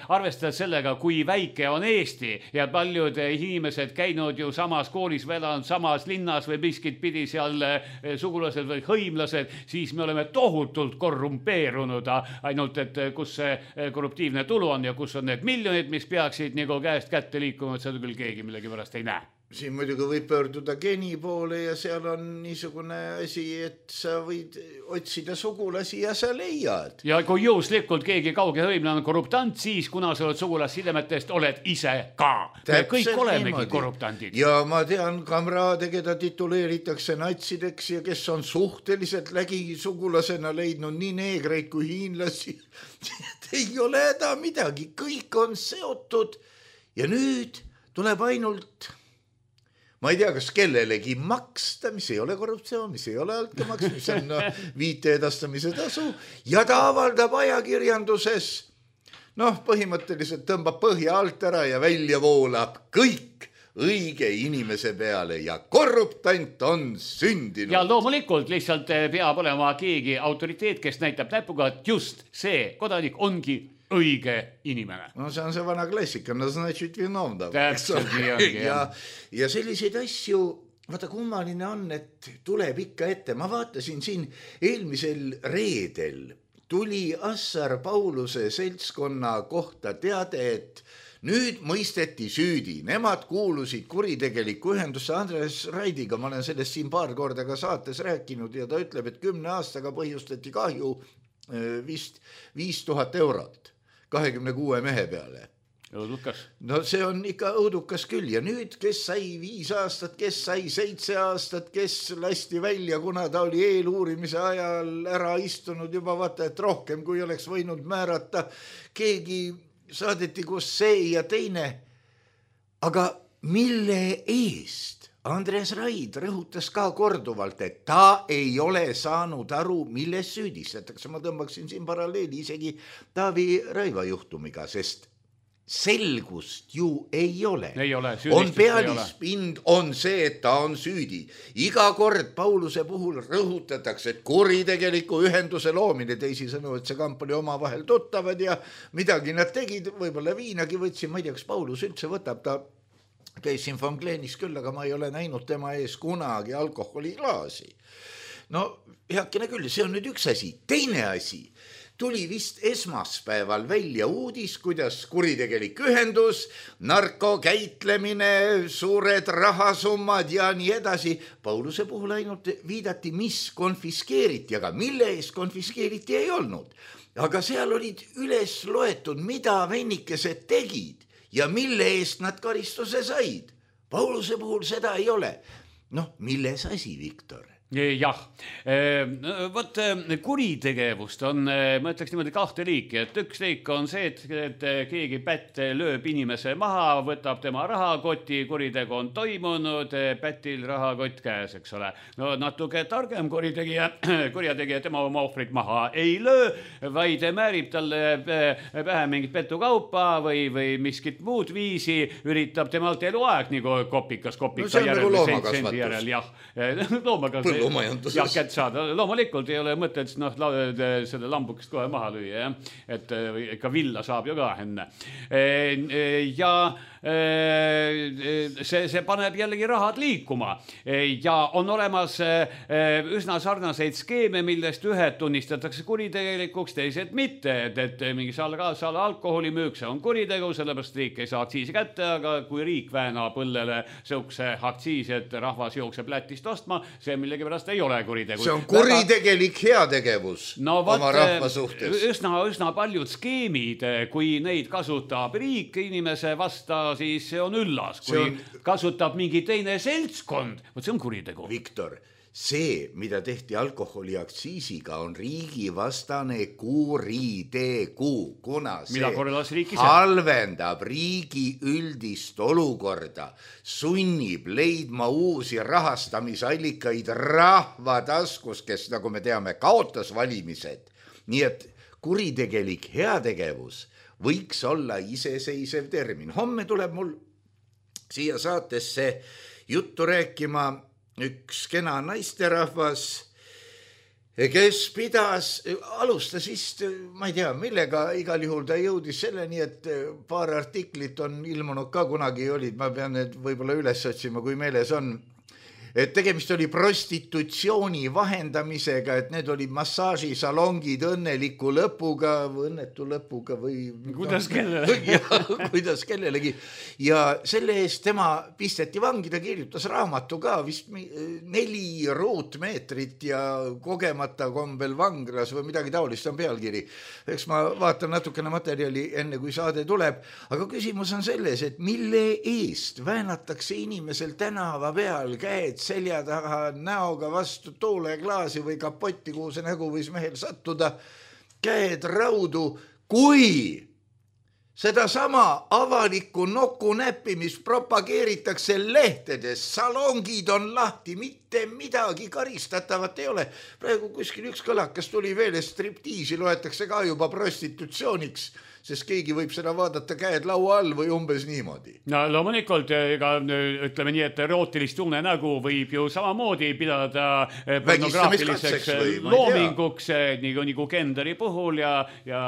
arvestades sellega, kui väike on Eesti ja paljud inimesed käinud ju samas koolis või elanud samas linnas või miskit pidi seal sugulased või hõimlased, siis me oleme tohutult korrumpeerunud, ainult et kus see korruptiivne tulu on ja kus on need miljonid, mis peaksid nagu käest kätte liikuma, et seda küll keegi millegi pärast ei näe. Siin muidugi võib pöörduda geeni poole ja seal on niisugune asi, et sa võid otsida sugulasi ja sa leiad. Ja kui juhuslikult keegi kauge hõimlane on korruptant, siis kuna sa oled sugulassidemetest, oled ise ka. Me kõik olemegi niimoodi korruptandid. Ja ma tean kamraade, keda tituleeritakse natsideks ja kes on suhteliselt lägi sugulasena leidnud nii neegreid kui hiinlasi. Ei ole häda midagi, kõik on seotud ja nüüd tuleb ainult... Ma ei tea, kas kellelegi maksta, mis ei ole korruptsioon, mis ei ole altkämaks, mis on no, viite edastamise tasu ja ta avaldab ajakirjanduses. Noh, põhimõtteliselt tõmbab põhja alt ära ja välja voolab kõik õige inimese peale ja korruptant on sündinud. Ja loomulikult lihtsalt peab olema keegi autoriteet, kes näitab näpuga, et just see kodanik ongi õige inimene. No see on see vana klassika, no значит виновна. Täpselt nii ongi. Ja, ja selliseid asju, vaata kummaline on, et tuleb ikka ette. Ma vaatasin siin eelmisel reedel tuli Assar Pauluse seltskonna kohta teade, et nüüd mõisteti süüdi. Nemad kuulusid kuritegeliku ühendusse Andres Raidiga. Ma olen sellest siin paar korda ka saates rääkinud ja ta ütleb, et kümne aastaga põhjustati kahju vist viis tuhat eurot. kahekümne kuue mehe peale. Õudukas. No see on ikka õudukas küll ja nüüd, kes sai viis aastat, kes sai seitse aastat, kes lasti välja, kuna ta oli eeluurimise ajal ära istunud juba vaata, et rohkem kui oleks võinud määrata. Keegi saadeti kus see ja teine. Aga mille eest? Andres Raid rõhutas ka korduvalt, et ta ei ole saanud aru, milles süüdistatakse. Ma tõmbaksin siin paralleeli isegi Taavi Raiva juhtumiga, sest selgust ju ei ole. Ei ole, on pealispind, on see, et ta on süüdi. Iga kord Pauluse puhul rõhutatakse, et kuritegeliku ühenduse loomine, teisisõnu, et see kamp oli oma vahel tuttavad ja midagi nad tegid, võib-olla viinagi võtsin, ma ei tea, kas Paulus üldse võtab, ta käis siin Von Gleenis küll, aga ma ei ole näinud tema ees kunagi alkoholiklaasi. No heakene küll, see on nüüd üks asi. Teine asi, tuli vist esmaspäeval välja uudis, kuidas kuritegelik ühendus, narkokäitlemine, suured rahasummad ja nii edasi. Pauluse puhul ainult viidati, mis konfiskeeriti, aga mille eest konfiskeeriti ei olnud. Aga seal olid üles loetud, mida vennikesed tegid ja mille eest nad karistuse said. Pauluse puhul seda ei ole. Noh, milles asi, Viktor? Jah, võt kuritegevust on, ma ütleks niimoodi kahte liiki, et üks liik on see, et, et keegi pätt lööb inimese maha, võtab tema rahakoti, kuritegu on toimunud, pätil rahakott käes, eks ole. No natuke targem kuritegija, kurjategija tema oma ohvrit maha ei löö, vaid määrib talle pähe mingit petukaupa või, või miskit muud viisi, üritab temalt eluaeg nagu kopikas kopika no, järel. No see on nagu loomakasvatus. Jah, loomakasvatus. Jah, kätt saada. Loomulikult ei ole mõtet noh, selle lambukest kohe maha lüüa, jah? Et ka villa saab ju ka enne. Ja see, see paneb jällegi rahad liikuma ja on olemas üsna sarnaseid skeeme, millest ühed tunnistatakse kuritegelikuks, teised mitte, et, et mingi salgaasal alkoholimüük, see on kuritegu, sellepärast riik ei saa aktsiisi kätte, aga kui riik väänab õllele sõukse aktsiisi, et rahvas jookseb Lätist ostma, see millegi pärast ei ole kuritegu. See on kuritegelik heategevus no, oma rahva suhtes. Üsna, üsna paljud skeemid, kui neid kasutab riik inimese vasta, siis see on üllas. Kui on... kasutab mingi teine seltskond, võt see on kuritegu. Viktor, see, mida tehti alkoholiaktsiisiga, on riigivastane kuritegu, kuna see halvendab riigi üldist olukorda, sunnib leidma uusi rahastamisallikaid rahva taskus, kes, nagu me teame, kaotas valimised. Nii et kuritegelik heategevus võiks olla iseseisev termin. Homme tuleb mul siia saatesse juttu rääkima üks kena naisterahvas, kes pidas, alustas vist, ma ei tea, millega, igal juhul ta jõudis selleni, et paar artiklit on ilmunud ka kunagi olid, ma pean need võib-olla üles otsima, kui meeles on, et tegemist oli prostitutsiooni vahendamisega, et need olid massaažisalongid õnneliku lõpuga või õnnetu lõpuga või kuidas no, kellelegi kuidas kellelegi ja selle eest tema pisteti vangi, ta kirjutas raamatu ka vist neli ruutmeetrit ja kogemata kombel vanglas või midagi taolist on pealkiri. Eks ma vaatan natukene materjali enne kui saade tuleb, aga küsimus on selles, et mille eest väänatakse inimesel tänava peal käed selja taha näoga vastu tooleklaasi või kapotti, kuhu see nägu võis mehel sattuda, käed raudu, kui seda sama avalikku noku näppimist propageeritakse lehtedes, salongid on lahti, mitte midagi karistatavat ei ole. Praegu kuskil üks kõlakas tuli veel, et striptiisi loetakse ka juba prostitutsiooniks, sest keegi võib seda vaadata käed laua all või umbes niimoodi. No loomulikult, ega ütleme nii, et erootilist unenägu võib ju samamoodi pidada pornograafiliseks loominguks nagu, nagu Kenderi puhul ja, ja,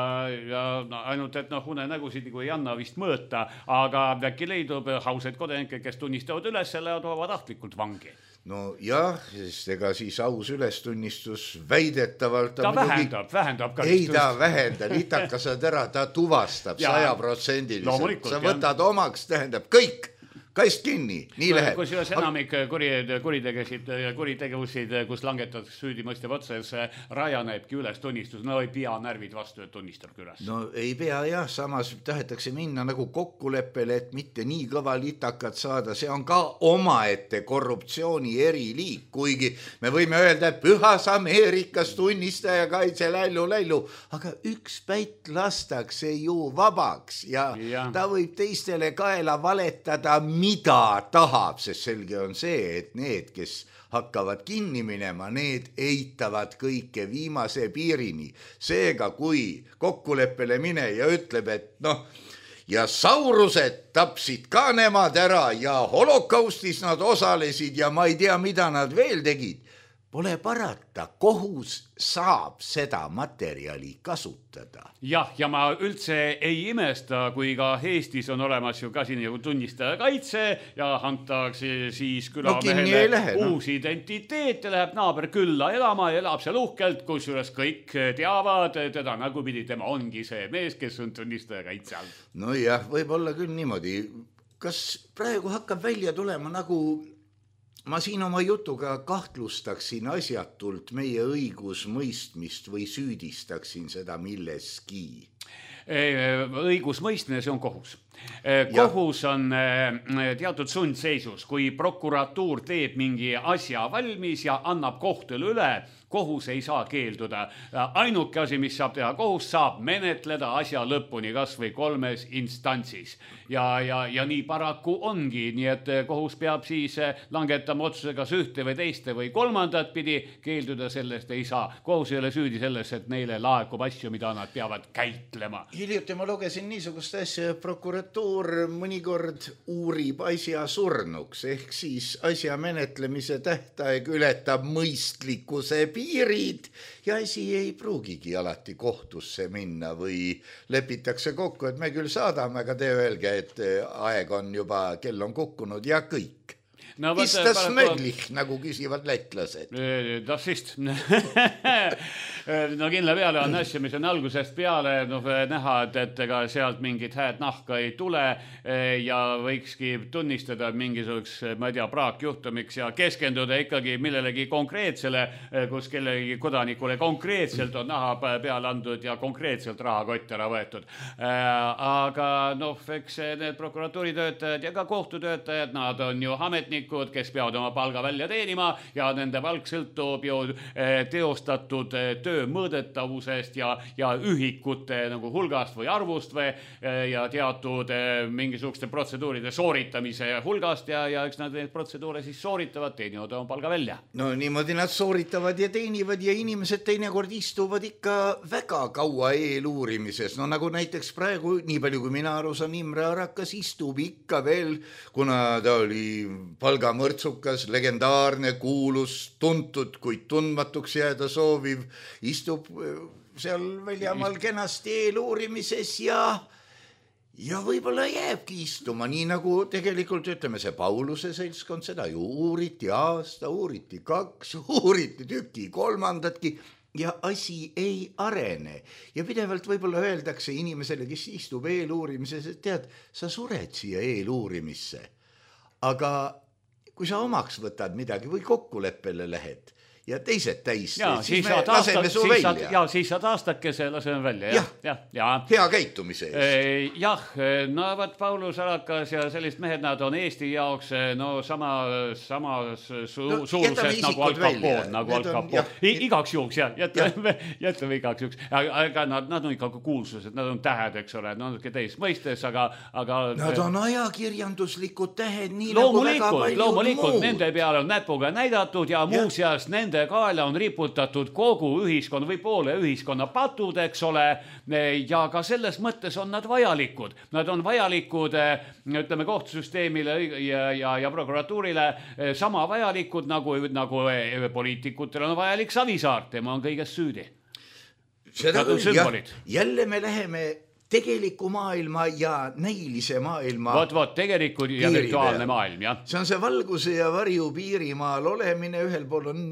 ja no, ainult, et noh, unenägusid nagu ei anna vist mõõta, aga äkki leidub hausaid kodanikke, kes tunnistavad üles selle ja toovad tahtlikult vangi. No jah, sest ega siis aus ülestunnistus väidetavalt ta, ta vähendab, vähendab karistust. Ei ta vähenda, litakasad ära, ta tuvastab sajaprotsendiliselt. Sa võtad ja. Omaks, tähendab kõik, kast kinni, nii läheb. Kus üles enamik kuri, kuritegesid, kuritegevusid, kus langetatakse süüdimõistev otsas, rajanebki üles tunnistus, no ei pea närvid vastu, et tunnistab üles. No ei pea jah, samas tahetakse minna nagu kokkuleppele, et mitte nii kõva litakat saada, see on ka omaette korruptsiooni eriliik, kuigi me võime öelda, et pühas Ameerikas tunnistaja kaitse lällu, lällu, aga üks päit lastakse ju vabaks ja, ja. Ta võib teistele kaela valetada mida tahab, sest selge on see, et need, kes hakkavad kinni minema, need eitavad kõike viimase piirini. Seega, kui kokkuleppele mine ja ütleb, et noh, ja saurused tapsid ka nemad ära ja holokaustis nad osalesid ja ma ei tea, mida nad veel tegid, pole parata, kohus saab seda materjali kasutada. Jah, ja ma üldse ei imesta, kui ka Eestis on olemas ju ka siin nagu tunnistaja kaitse ja antakse siis külamehele no, no. uus identiteet ja läheb naaber külla elama ja elab seal uhkelt, kus üles kõik teavad teda nagupidi, tema ongi see mees, kes on tunnistaja kaitse all. No jah, võib olla küll niimoodi. Kas praegu hakkab välja tulema nagu ma siin oma jutuga kahtlustaksin asjatult meie õigusmõistmist või süüdistaksin seda milleski? Õigusmõistmine, see on kohus. Kohus on teatud sundseisus, kui prokuratuur teeb mingi asja valmis ja annab kohtule üle, kohus ei saa keelduda. Ainuke asi, mis saab teha, kohus saab menetleda asja lõpuni kas või kolmes instantsis. Ja, ja, ja nii paraku ongi, nii et kohus peab siis langetama otsuse kas ühte või teiste või kolmandat pidi, keelduda sellest ei saa. Kohus ei ole süüdi selles, et neile laekub asju, mida nad peavad käitlema. Hiljuti ma lugesin niisugust asja, prokuratuur mõnikord uurib asja surnuks, ehk siis asja menetlemise tähtaeg ületab mõistlikkuse piirid ja asi ei pruugigi alati kohtusse minna või lepitakse kokku, et me küll saadame, aga te öelge, et aeg on juba, kell on kukkunud ja kõik. No, Istas möglich, nagu küsivad lätlased. Das ist. No kindla peale on asja, mis on algusest peale no, näha, et, et ega sealt mingit hääd nahka ei tule ja võikski tunnistada mingisuguseks, ma ei tea, praakjuhtumiks ja keskenduda ikkagi millelegi konkreetsele, kus kellegi kodanikule konkreetselt on naha peale andnud ja konkreetselt rahakott ära võetud. Aga noh, eks need prokuratuuritöötajad ja ka kohtutöötajad, nad on ju ametnikud, ametnikud, kes peavad oma palga välja teenima ja nende palk sõltub ju teostatud töö mõõdetavusest ja, ja ühikute nagu hulgast või arvust või ja teatud mingisuguste protseduuride sooritamise hulgast ja, ja eks nad neid protseduure siis sooritavad, teenivad oma palga välja. No niimoodi nad sooritavad ja teenivad ja inimesed teinekord istuvad ikka väga kaua eeluurimises. No nagu näiteks praegu, nii palju kui mina aru saan, Imre Arakas istub ikka veel, kuna ta oli palgamõrtsukas, legendaarne, kuulus, tuntud, kuid tundmatuks jääda sooviv, istub seal väljamaal kenasti eeluurimises ja ja võib-olla jääbki istuma, nii nagu tegelikult ütleme see Pauluse seltskond, seda ju uuriti aasta, uuriti kaks, uuriti tüki, kolmandatki ja asi ei arene. Ja pidevalt võib-olla öeldakse inimesele, kes istub eeluurimises, et tead, sa sured siia eeluurimisse. Aga kui sa omaks võtad midagi või kokkuleppele lähed ja teised täis, ja, siis, siis me aastak, laseme su siis välja. Saad, ja siis saad aastakese laseme välja. Ja, ja, ja. Hea käitumise eest. Jah, no võt Paulus Arakas ja sellist mehed, nad on Eesti jaoks no sama, sama su, no, suurusest nagu Al Capone, nagu Al Capone. Igaks juhuks, jah, jätame, jätame igaks juhuks. Aga nad, nad on ikka kuulsused, nad on tähed, eks ole, nad on teist mõistes, aga, aga... Nad on ajakirjanduslikud tähed, nii loomulikult, nagu väga paljud loomulikult, muud. Nende peale on näpuga näidatud ja, ja. muuseas nende kaela on riputatud kogu ühiskonna või poole ühiskonna patud, eks ole, ja ka selles mõttes on nad vajalikud. Nad on vajalikud, ütleme, kohtusüsteemile ja, ja, ja prokuratuurile sama vajalikud, nagu, nagu poliitikutel on vajalik Savisaar, tema on kõigest süüdi. Seda küll, jah, jälle me läheme tegeliku maailma ja näilise maailma vot, vot, tegeliku ja virtuaalne maailm, jah. See on see valguse ja varju piirimaal olemine, ühel pool on,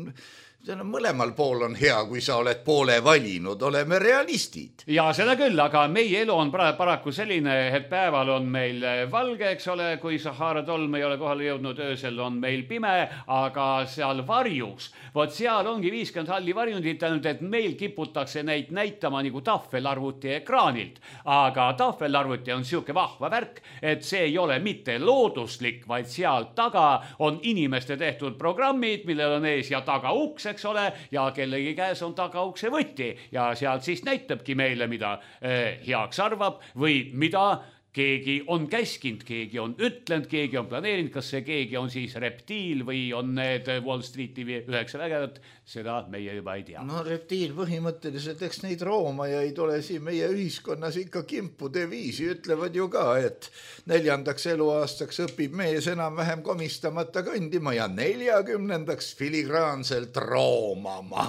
on mõlemal pool on hea, kui sa oled poole valinud, oleme realistid. Ja seda küll, aga meie elu on paraku selline, et päeval on meil valge, eks ole, kui Sahara tolm ei ole kohale jõudnud, öösel on meil pime, aga seal varjus, vot seal ongi viiskümmend halli varjundit, ainult et meil kiputakse neid näitama nagu tahvelarvuti ekraanilt. Aga tahvelarvuti on siuke vahva värk, et see ei ole mitte looduslik, vaid seal taga on inimeste tehtud programmid, millel on ees ja taga uks, eks ole, ja kellegi käes on taga ukse võtti ja sealt siis näitabki meile, mida eh, heaks arvab või mida keegi on käskinud, keegi on ütlenud, keegi on planeerinud, kas see keegi on siis reptiil või on need Wall Streeti üheksa vägevat, seda meie juba ei tea. No reptiil põhimõtteliselt, eks neid roomajaid ole siin meie ühiskonnas ikka kimpude viisi, ütlevad ju ka, et neljandaks eluaastaks õpib mees enam-vähem komistamata kõndima ja neljakümnendaks filigraanselt roomama.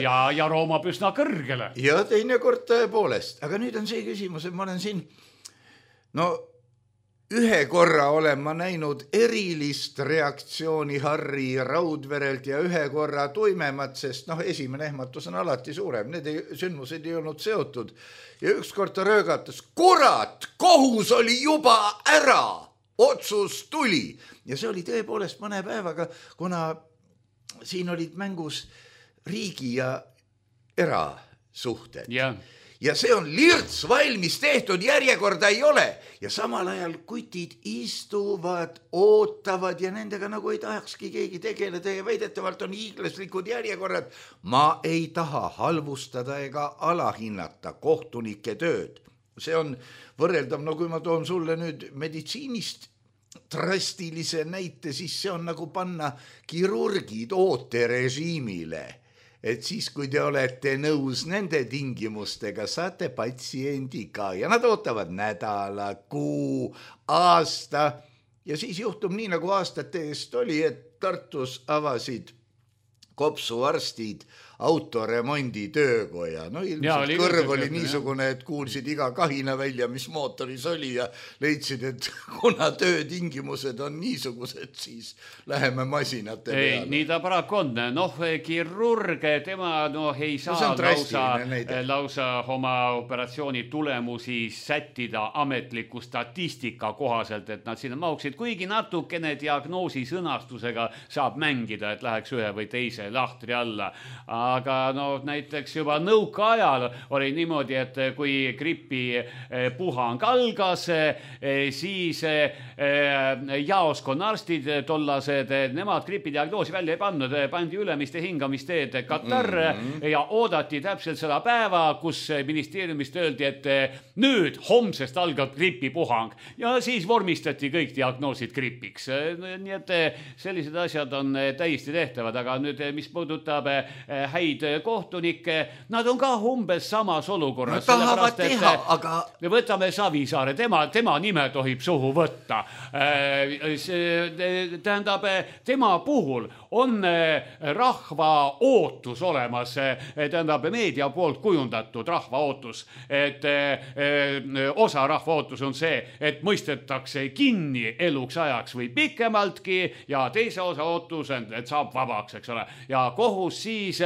Ja, ja roomab üsna kõrgele. Ja teinekord tõepoolest, aga nüüd on see küsimus, et ma olen siin no ühe korra olen ma näinud erilist reaktsiooni Harri Raudverelt ja ühe korra tuimemat, sest noh, esimene ehmatus on alati suurem, need ei, sündmused ei olnud seotud ja ükskord ta röögatas, kurat, kohus oli juba ära, otsus tuli ja see oli tõepoolest mõne päevaga, kuna siin olid mängus riigi ja erasuhted. Jah. Ja see on lirts valmis tehtud, järjekorda ei ole. Ja samal ajal kutid istuvad, ootavad ja nendega nagu ei tahakski keegi tegeleda ja väidetavalt on hiiglaslikud järjekorrad. Ma ei taha halvustada ega alahinnata kohtunike tööd. See on võrreldav, no kui ma toon sulle nüüd meditsiinist drastilise näite, siis see on nagu panna kirurgid ooterežiimile. Et siis, kui te olete nõus nende tingimustega, saate patsiendi ka ja nad ootavad nädala, kuu, aasta ja siis juhtub nii, nagu aastate eest oli, et Tartus avasid kopsuarstid autoremondi töökoja. No ilmselt ja, oli kõrv oli niisugune, et kuulsid iga kahina välja, mis mootoris oli ja leidsid, et kuna töötingimused on niisugused, siis läheme masinate ei, peale. Nii ta paraku on. Noh, kirurg, tema no, ei saa no, lausa, lausa oma operatsiooni tulemusi sättida ametliku statistika kohaselt, et nad sinna mauksid, kuigi natukene diagnoosi sõnastusega saab mängida, et läheks ühe või teise lahtri alla. aga no näiteks juba nõukaajal oli niimoodi, et kui gripi puhang algas, siis jaoskonna arstid tollased, nemad gripidiagnoosi välja ei pannud, pandi ülemiste hingamisteed katarr mm-hmm. ja oodati täpselt seda päeva, kus ministeeriumist öeldi, et nüüd homsest algab gripipuhang ja siis vormistati kõik diagnoosid gripiks. Nii et sellised asjad on täiesti tehtavad, aga nüüd, mis puudutab häid kohtunikke, nad on ka umbes samas olukorras. Nad tahavad teha, aga... Võtame Savisaare, tema, tema nime tohib suhu võtta. Tähendab, tema puhul on rahva ootus olemas, tähendab meedia poolt kujundatud rahva ootus, et osa rahva ootus on see, et mõistetakse kinni eluks ajaks või pikemaltki ja teise osa ootus on, et saab vabaks, eks ole. Ja kohus siis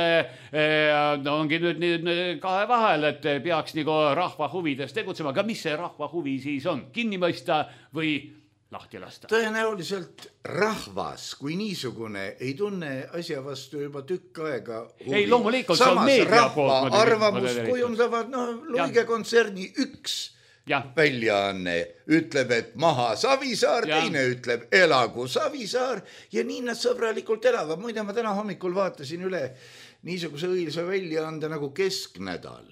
ongi nüüd, nüüd kahe vahel, et peaks nagu rahva huvides tegutsema, aga mis see rahva huvi siis on? Kinni mõista või lahti lasta? Tõenäoliselt rahvas kui niisugune ei tunne asja vastu juba tükk aega huvi. Ei, loomulikult, samas see on meedia rahva poolt. Arvamus kujundavad, no Luige kontserni üks ja. Väljaanne ütleb, et maha Savisaar, ja. Teine ütleb elagu Savisaar ja nii nad sõbralikult elavad. Muide, ma täna hommikul vaatasin üle niisuguse õilsa väljaande nagu Kesknädal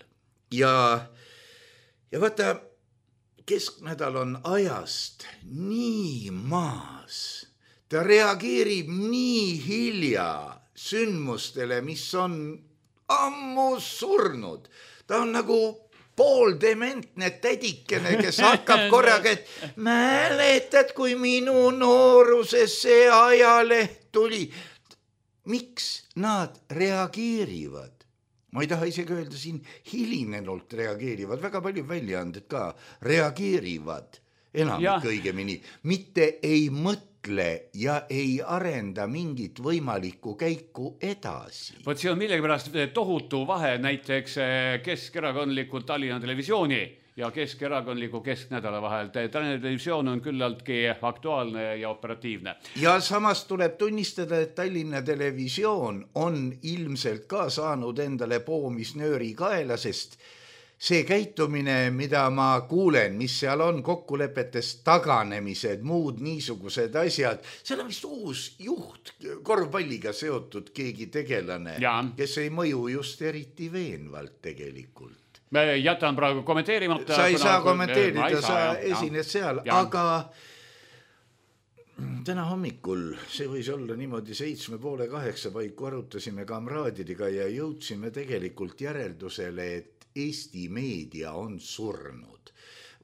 ja, ja vaata, Kesknädal on ajast nii maas. Ta reageerib nii hilja sündmustele, mis on ammu surnud. Ta on nagu pooldementne tädikene, kes hakkab korraga, et mäletad, kui minu nooruses see ajaleht tuli. Miks nad reageerivad? Ma ei taha isegi öelda siin hilinenult reageerivad, väga palju väljaanded ka reageerivad enamik õigemini, mitte ei mõtle ja ei arenda mingit võimalikku käiku edasi. Võt see on millegipärast tohutu vahe näiteks keskerakondlikult Tallinna Televisiooni ja keskerakondliku Kesknädala vahel. Tallinna Televisioon on küllaltki aktuaalne ja operatiivne. Ja samas tuleb tunnistada, et Tallinna Televisioon on ilmselt ka saanud endale poomisnööri kaela, sest see käitumine, mida ma kuulen, mis seal on, kokkulepetest taganemised, muud niisugused asjad, seal on vist uus juht, korvpalliga seotud keegi tegelane, ja. Kes ei mõju just eriti veenvalt tegelikult. Me jätan praegu kommenteerimata. Sa ei kuna... saa kommenteerida, ei sa saa, esined seal, ja. Aga täna hommikul, see võis olla niimoodi seitsme poole kaheksa paiku arutasime kamraadidega ja jõudsime tegelikult järeldusele, et Eesti meedia on surnud.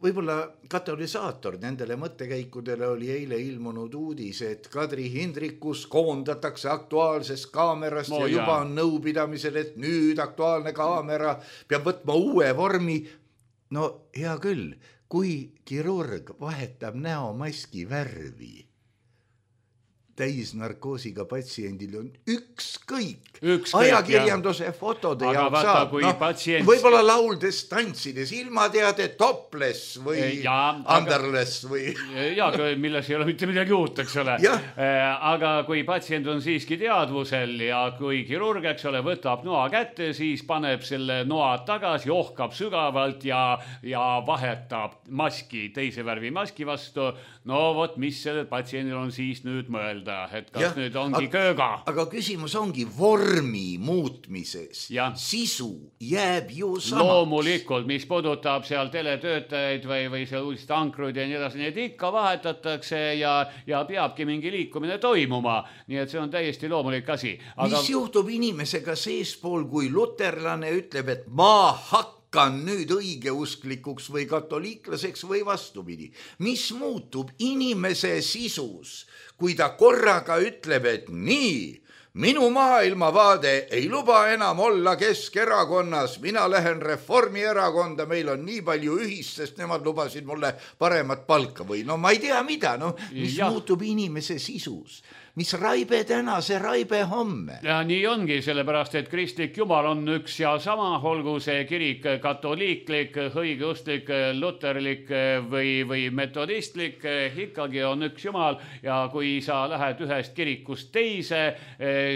Võib-olla katalüsaator nendele mõttekäikudele oli eile ilmunud uudis, et Kadri Hindrikus koondatakse aktuaalsest kaamerast no, ja juba on nõupidamisel, et nüüd aktuaalne kaamera peab võtma uue vormi. No hea küll, kui kirurg vahetab näomaski värvi, täisnarkoosiga patsiendil on ükskõik. ükskõik ajakirjanduse ja. Fotode aga jaoks saab. No, patsient... Võib-olla lauldes, tantsides, ilmateade, topless või ja, underless või... Ja, milles ei ole mitte midagi uut, eks ole. Aga kui patsient on siiski teadvusel ja kui kirurg, eks ole, võtab noa kätte, siis paneb selle noa tagasi, ohkab sügavalt ja, ja vahetab maski, teise värvi maski vastu. No vot, mis sellel patsiendil on siis nüüd mõelda? Et kas ja, nüüd ongi aga, kööga. Aga küsimus ongi vormi muutmises. Ja. Sisu jääb ju samaks. Loomulikult, mis puudutab seal teletöötajaid või, või seal uudist ankruid ja nii edasi, need ikka vahetatakse ja, ja peabki mingi liikumine toimuma. Nii et see on täiesti loomulik asi. Aga... Mis juhtub inimesega seespool, kui luterlane ütleb, et ma hakkan nüüd õigeusklikuks või katoliiklaseks või vastupidi? Mis muutub inimese sisus? Kui ta korraga ütleb, et nii, minu maailmavaade ei luba enam olla Keskerakonnas, mina lähen Reformierakonda, meil on nii palju ühist, sest nemad lubasid mulle paremat palka või no ma ei tea mida, no mis ja. Muutub inimese sisus. mis raibe täna, see raibe homme. Ja nii ongi, sellepärast, et kristlik jumal on üks ja sama, olgu see kirik katoliiklik, õigeustlik, luterlik või, või metodistlik, ikkagi on üks jumal ja kui sa lähed ühest kirikust teise,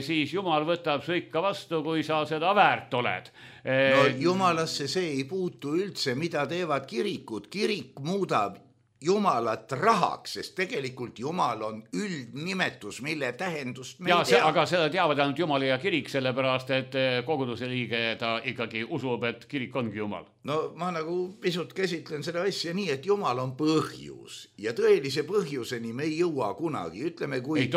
siis jumal võtab su ikka vastu, kui sa seda väärt oled. No jumalasse see ei puutu üldse, mida teevad kirikud. Kirik muudab jumalat rahaks, sest tegelikult jumal on üldnimetus, mille tähendust me ja, ei tea. Aga seda teavad ainult jumal ja kirik, sellepärast, et koguduse liige ta ikkagi usub, et kirik ongi jumal. No ma nagu pisut käsitlen seda asja nii, et jumal on põhjus ja tõelise põhjuseni me ei jõua kunagi. Ütleme, kui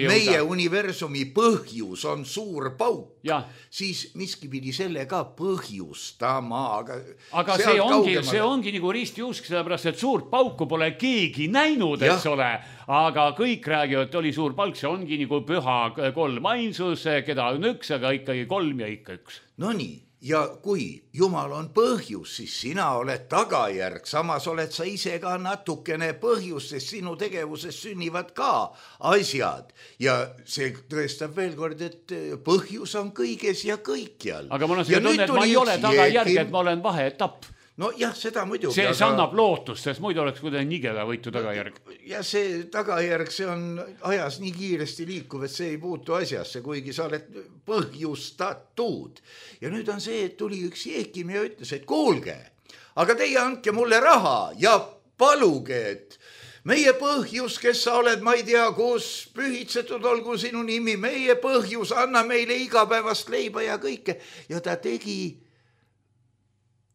meie universumi põhjus on suur pauk, ja. Siis miski pidi selle ka põhjustama. Aga, aga see ongi, see ongi nagu ristiusk, sellepärast, et suurt pauku pole keegi näinud, eks ole, aga kõik räägivad, et oli suur palk, see ongi nagu püha kolm ainsus, keda on üks, aga ikkagi kolm ja ikka üks. No nii, ja kui jumal on põhjus, siis sina oled tagajärg, samas oled sa ise ka natukene põhjus, sest sinu tegevuses sünnivad ka asjad ja see tõestab veel kord, et põhjus on kõiges ja kõikjal. Aga mul on see tunne, et ma ei ole tagajärg, et ma olen vaheetapp. No jah, seda muidugi. See aga... annab lootust, sest muidu oleks kuidagi nigela võitu tagajärg. Ja see tagajärg, see on ajas nii kiiresti liikuv, et see ei puutu asjasse, kuigi sa oled põhjustatud. Ja nüüd on see, et tuli üks jeekim ja ütles, et kuulge, aga teie andke mulle raha ja paluge, et meie põhjus, kes sa oled, ma ei tea, kus pühitsetud olgu sinu nimi, meie põhjus, anna meile igapäevast leiba ja kõike. Ja ta tegi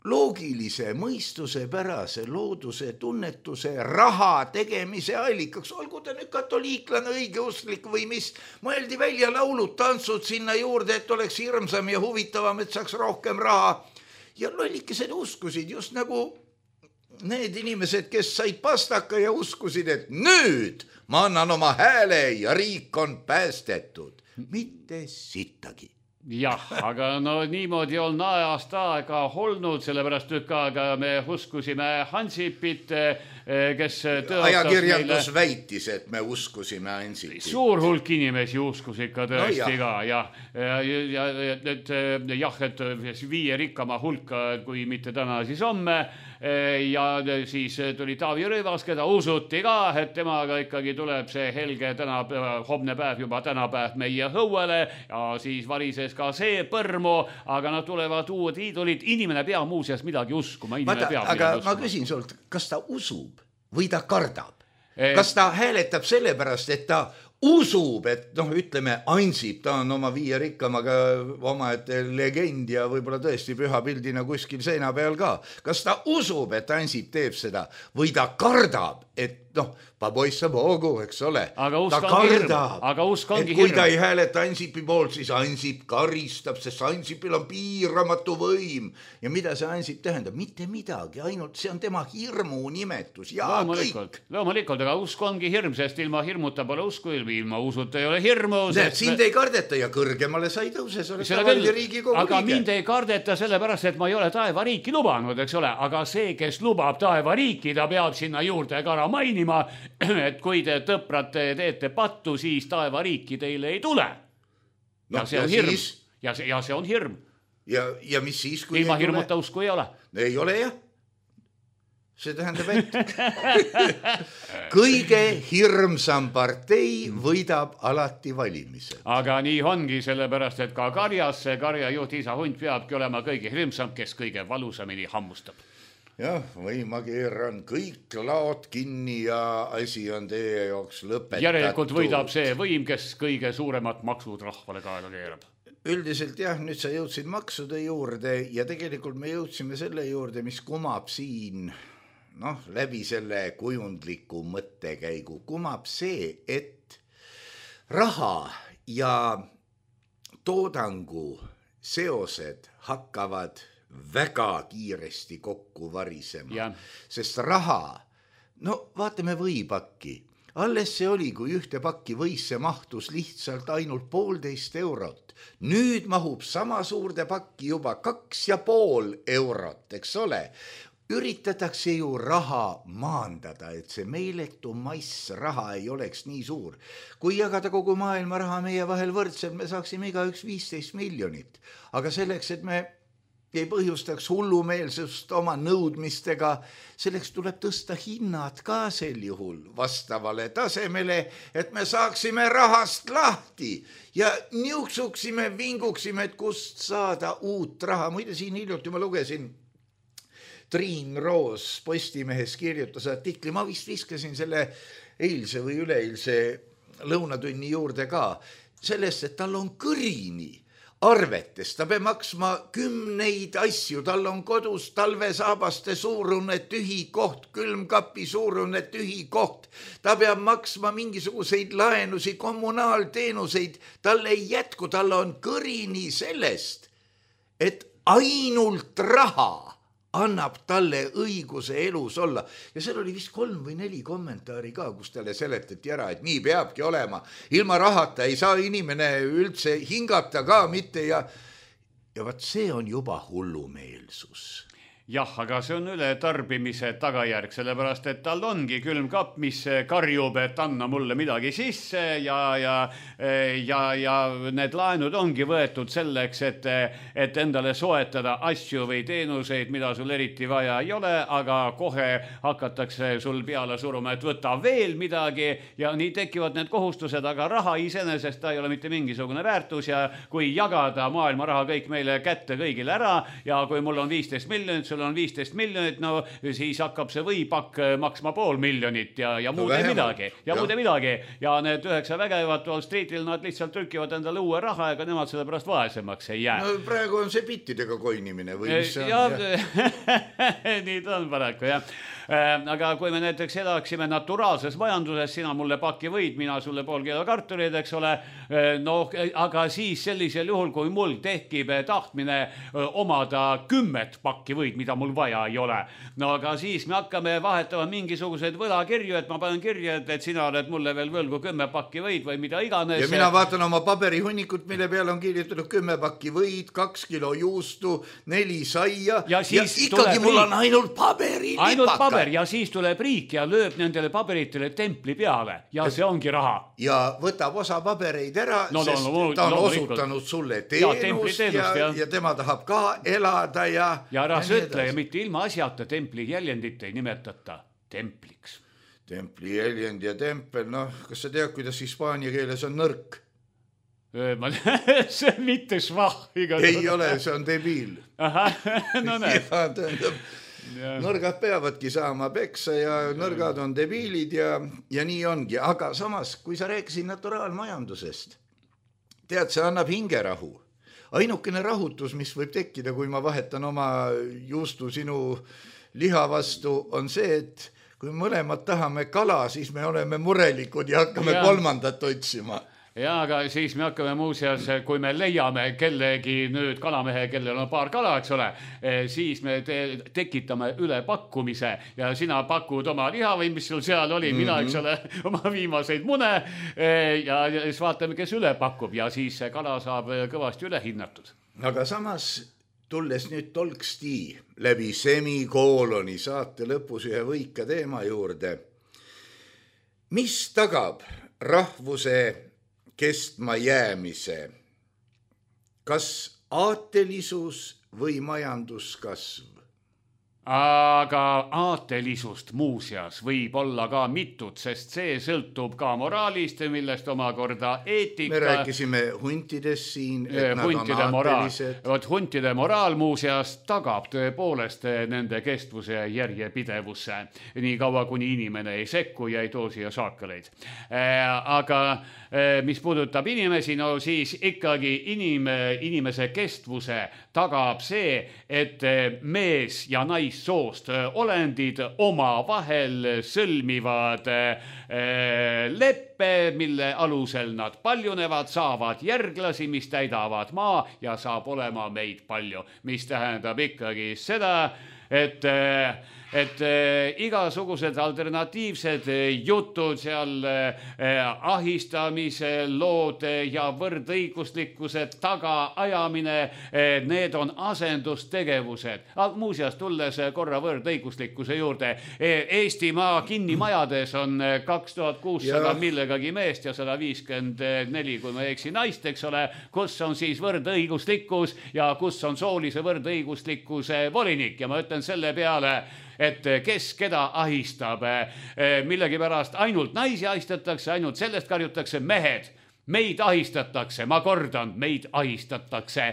loogilise, mõistuse pärase, looduse, tunnetuse, raha tegemise allikaks. Olgu ta nüüd katoliiklane, õigeustlik või mis. Mõeldi välja laulud, tantsud sinna juurde, et oleks hirmsam ja huvitavam, et saaks rohkem raha. Ja lollikesed uskusid just nagu need inimesed, kes said pastaka ja uskusid, et nüüd ma annan oma hääle ja riik on päästetud. Mitte sittagi. Jah, aga no niimoodi on ajast aega olnud, sellepärast tükk aega me uskusime Hansipit, kes tõotas ajakirjandus meile... väitis, et me uskusime Hansipit. Suur hulk inimesi uskus ikka tõesti no, ka, jah. Ja, ja, et, jah, et viie rikkama hulka, kui mitte täna, siis homme. Ja siis tuli Taavi Rõivas, keda usuti ka, et temaga ikkagi tuleb see helge tänapäev, homne päev juba tänapäev meie hõuele ja siis varises ka see põrmu, aga nad tulevad uued iidolid. Inimene peab muuseas midagi uskuma. Vaata, aga ma küsin sult, kas ta usub või ta kardab? Kas ta hääletab sellepärast, et ta usub, et noh, ütleme Ansip, ta on oma viie rikkamaga omaette legend ja võib-olla tõesti püha pildina kuskil seina peal ka. Kas ta usub, et Ansip teeb seda või ta kardab, et noh, paboissa poogu, eks ole. Aga ta kardab, aga usk ongi et kui ta ei hääleta Ansipi poolt, siis Ansip karistab, sest Ansipil on piiramatu võim. Ja mida see Ansip tähendab? Mitte midagi, ainult see on tema hirmu nimetus ja loomulikult, kõik. Loomulikult, aga usk ongi hirm, sest ilma hirmuta pole usku, ilma usuta ei ole hirmu. Näed, sind me... ei kardeta ja kõrgemale sa ei tõuse, sa oled tavali Riigikogu aga liige. Mind ei kardeta sellepärast, et ma ei ole taevariiki lubanud, eks ole, aga see, kes lubab taevariiki, ta peab sinna juurde ka ära mainima, et kui te tõprate teete pattu, siis taevariiki teile ei tule. Ja no, see on ja hirm. Siis... Ja, see, ja see on hirm. Ja, ja mis siis, kui ilma hirmuta usku ei ole. Ei ole jah. See tähendab, et kõige hirmsam partei võidab alati valimised. Aga nii ongi sellepärast, et ka karjas see karjajuht isa hunt peabki olema kõige hirmsam, kes kõige valusamini hammustab. Jah, või ma keeran kõik laod kinni ja asi on teie jooks lõpetatud. Järelikult võidab see võim, kes kõige suuremat maksud rahvale kaela keerab. Üldiselt jah, nüüd sa jõudsid maksude juurde ja tegelikult me jõudsime selle juurde, mis kumab siin, noh, läbi selle kujundliku mõttekäigu. Kumab see, et raha ja toodangu seosed hakkavad väga kiiresti kokku varisema, ja. Sest raha, no vaatame võipakki. Alles see oli, kui ühte pakki võisse mahtus lihtsalt ainult poolteist eurot. Nüüd mahub sama suurde pakki juba kaks ja pool eurot, eks ole. üritatakse ju raha maandada, et see meeletu mass raha ei oleks nii suur. Kui jagada kogu maailma raha meie vahel võrdselt, me saaksime igaüks viisteist miljonit. Aga selleks, et me ei põhjustaks hullumeelsust oma nõudmistega, selleks tuleb tõsta hinnad ka sel juhul vastavale tasemele, et me saaksime rahast lahti ja niuksuksime, vinguksime, et kust saada uut raha. Muide, siin hiljuti ma lugesin, Triin Roos Postimehes kirjutas artikli, ma vist viskasin selle eilse või üleeilse lõunatunni juurde ka, sellest, et tal on kõrini arvetes, ta peab maksma kümneid asju, tal on kodus talvesaabaste suurune tühi koht, külmkapi suurune tühi koht, ta peab maksma mingisuguseid laenusi, kommunaalteenuseid, tal ei jätku, tal on kõrini sellest, et ainult raha annab talle õiguse elus olla. Ja seal oli vist kolm või neli kommentaari ka, kus talle seletati ära, et nii peabki olema. Ilma rahata ei saa inimene üldse hingata ka mitte ja, ja vaat see on juba hullumeelsus. Jah, aga see on ületarbimise tagajärg, sellepärast, et tal ongi külmkapp, mis karjub, et anna mulle midagi sisse ja, ja, ja, ja need laenud ongi võetud selleks, et, et endale soetada asju või teenuseid, mida sul eriti vaja ei ole, aga kohe hakatakse sul peale suruma, et võta veel midagi ja nii tekivad need kohustused, aga raha iseenesest ta ei ole mitte mingisugune väärtus ja kui jagada maailma raha kõik meile kätte kõigile ära ja kui mul on viisteist miljonit, sul on viisteist miljonit, no siis hakkab see võipakk maksma pool miljonit ja, ja muude no midagi. Ja, ja muude midagi. Ja need üheksa vägevat Wall Streetil, nad lihtsalt trükivad endale uue raha, ega nemad selle pärast vaesemaks ei jää. No praegu on see bittidega koinimine või mis see on? Ja, ja. Nii ta on paraku, jah. Aga kui me näiteks elaksime naturaalses majanduses, sina mulle paki võid, mina sulle pool kilo kartulid, eks ole, no aga siis sellisel juhul, kui mul tekib tahtmine omada kümmet pakki võid, mida mul vaja ei ole, no aga siis me hakkame vahetama mingisuguseid võlakirju, et ma panen kirja, et, et sina oled mulle veel võlgu kümme pakki võid või mida iganes. Ja mina vaatan oma paberihunnikut, mille peale on kirjutatud kümme pakki võid, kaks kilo juustu, neli saia ja, ja ikkagi mul on ainult paberi lipaka. Ja siis tuleb riik ja lööb nendele paberitele templi peale ja see ongi raha. Ja võtab osa pabereid ära, no, sest no, no, ta on no, osutanud sulle teenust ja, teenust, ja, ja tema tahab ka elada ja... Ja ära söötle ja mitte ilma asjata templi jäljendit ei nimetata templiks. Templi jäljend ja tempel, noh, kas sa tead, kuidas hispaania keeles on nõrk? Ma, see on mitte švah. Ei ole, see on debiil. Aha, no näed. Ja, tähendab, ja. Nõrgad peavadki saama peksa ja nõrgad on debiilid ja, ja nii ongi. Aga samas, kui sa rääkisid naturaalmajandusest, tead, see annab hingerahu. Ainukene rahutus, mis võib tekkida, kui ma vahetan oma juustu sinu liha vastu, on see, et kui mõlemad tahame kala, siis me oleme murelikud ja hakkame ja. kolmandat otsima. Ja, aga siis me hakkame muuseas, kui me leiame kellegi nüüd kalamehe, kellel on paar kala, eks ole, siis me te tekitame ülepakkumise ja sina pakud oma liha või mis sul seal oli, mina, eks ole, oma viimaseid mune ja siis vaatame, kes üle pakub ja siis see kala saab kõvasti üle hinnatud. Aga samas, tulles nüüd tolksti läbi semikooloni saate lõpus ühe võika teema juurde, mis tagab rahvuse kestma jäämise, kas aatelisus või majanduskasv? Aga aatelisust muuseas võib olla ka mitut, sest see sõltub ka moraalist, millest omakorda eetika. Me rääkisime huntidest siin, et nad huntide on aatelised. Vot huntide moraal muuseas tagab tõepoolest nende kestvuse ja järjepidevusse, nii kaua kuni inimene ei sekku ja ei too siia saakaleid. Aga mis puudutab inimesi, no siis ikkagi inim, inimese kestvuse tagab see, et mees ja naissoost olendid oma vahel sõlmivad leppe, mille alusel nad paljunevad, saavad järglasi, mis täidavad maa ja saab olema meid palju, mis tähendab ikkagi seda, et et äh, igasugused alternatiivsed jutud seal äh, ahistamise lood ja võrdõiguslikkuse tagaajamine, äh, need on asendustegevused. Muuseas, tulles korra võrdõiguslikkuse juurde, Eestimaa kinnimajades on kaks tuhat kuussada millegagi meest ja sada viiskümmend neli, kui ma eksi, naist, eks ole, kus on siis võrdõiguslikkus ja kus on soolise võrdõiguslikkuse volinik. Ja ma ütlen selle peale, et kes keda ahistab, millegipärast ainult naisi ahistatakse, ainult sellest karjutakse mehed. Meid ahistatakse, ma kordan, meid ahistatakse.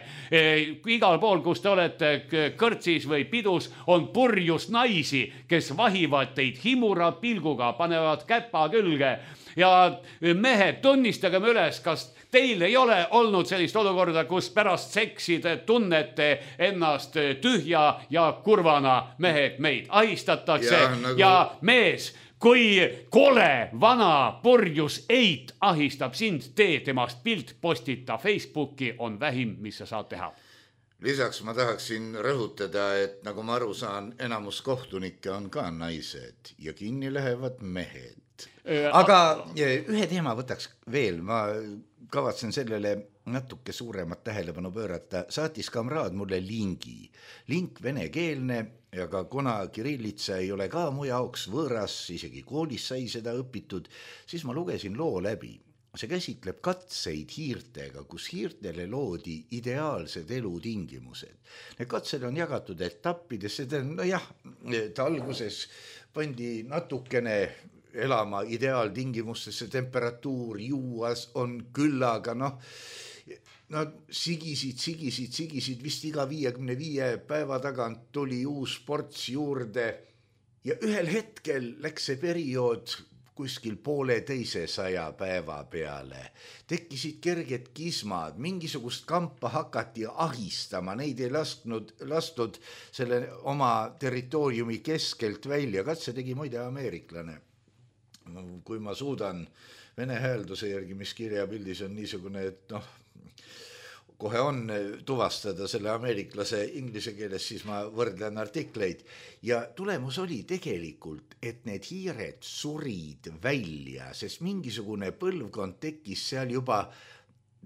Igal pool, kus te olete kõrtsis või pidus, on purjus naisi, kes vahivad teid himura pilguga, panevad käpa külge. Ja mehed, tunnistage me üles, kas teil ei ole olnud sellist olukorda, kus pärast seksi te tunnete ennast tühja ja kurvana. Mehed, meid ahistatakse ja, nagu... ja mees, kui kole vana purjus eit ahistab sind, tee temast pilt, postita Facebooki, on vähim, mis sa saad teha. Lisaks ma tahaksin rõhutada, et nagu ma aru saan, enamus kohtunikke on ka naised ja kinni lähevad mehed. Aga ühe teema võtaks veel, ma kavatsen sellele natuke suuremat tähelepanu pöörata. Saatis kamraad mulle lingi. Link venekeelne, aga kuna kirillitsa ei ole ka mu jaoks võõras, isegi koolis sai seda õpitud, siis ma lugesin loo läbi. See käsitleb katseid hiirtega, kus hiirtele loodi ideaalsed elutingimused. Need katsed on jagatud etappidesse, no jah, et alguses pandi natukene elama ideaaltingimustesse, temperatuur juuas on küllaga, noh, nad sigisid, sigisid, sigisid, vist iga viiekümne viie päeva tagant tuli uus ports juurde ja ühel hetkel läks see periood kuskil poole teise saja päeva peale. Tekkisid kerged kismad, mingisugust kampa hakati ahistama, neid ei lasknud, lastud selle oma territooriumi keskelt välja. Katse tegi muide ameeriklane. Kui ma suudan vene häälduse järgi, mis kirjapildis on niisugune, et noh, kohe on tuvastada selle ameeriklase inglise keeles, siis ma võrdlen artikleid. Ja tulemus oli tegelikult, et need hiired surid välja, sest mingisugune põlvkond tekkis seal juba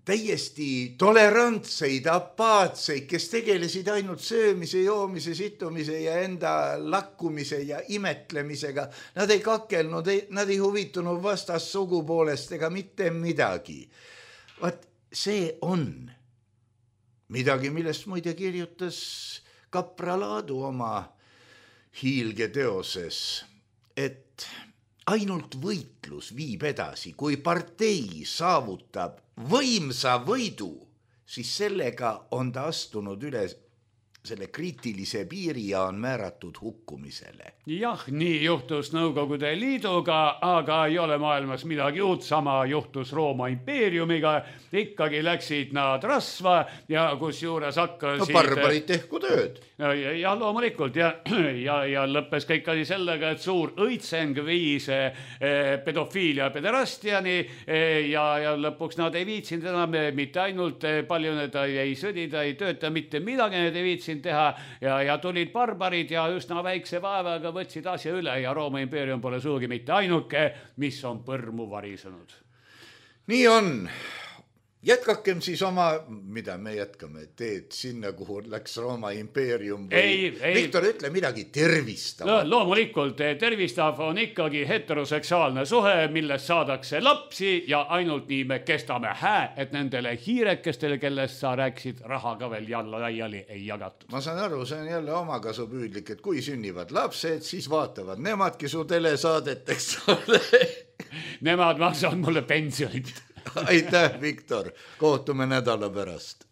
täiesti tolerantseid, apaatseid, kes tegelesid ainult söömise, joomise, situmise ja enda lakkumise ja imetlemisega. Nad ei kakelnud, nad ei huvitunud vastas sugupoolest ega mitte midagi. Vaat see on midagi, millest muide kirjutas Kapra Laadu oma hiilgeteoses, et ainult võitlus viib edasi, kui partei saavutab võimsa võidu, siis sellega on ta astunud üle selle kriitilise piiri ja on määratud hukkumisele. Jah, nii juhtus Nõukogude Liiduga, aga ei ole maailmas midagi uut. Sama juhtus Rooma impeeriumiga. Ikkagi läksid nad rasva ja kus juures hakkasid... No barbarid tehku tööd. Ja, ja loomulikult ja, ja, ja lõppes kõik asi sellega, et suur õitseng viis eh, pedofiilia pederastiani eh, ja, ja lõpuks nad ei viitsinud enam mitte ainult eh, palju need ei sõdida, ei tööta mitte midagi, need ei viitsinud teha ja, ja tulid barbarid ja üsna väikse vaevaga võtsid asja üle ja Rooma impeerium pole suugi mitte ainuke, mis on põrmu varisenud. Nii on. Jätkakem siis oma, mida me jätkame, teed sinna, kuhu läks Rooma impeerium või... Ei, ei. Viktor, ütle midagi tervistav. No, loomulikult tervistav on ikkagi heteroseksuaalne suhe, millest saadakse lapsi ja ainult nii me kestame hää, et nendele hiirekestele, kellest sa rääksid, raha ka veel jalla laiali ei jagatud. Ma saan aru, see on jälle omakasupüüdlik, et kui sünnivad lapsed, siis vaatavad nemadki su telesaadeteks. Nemad maksavad mulle pensionit. Aitäh, Viktor. Kohtume nädala pärast.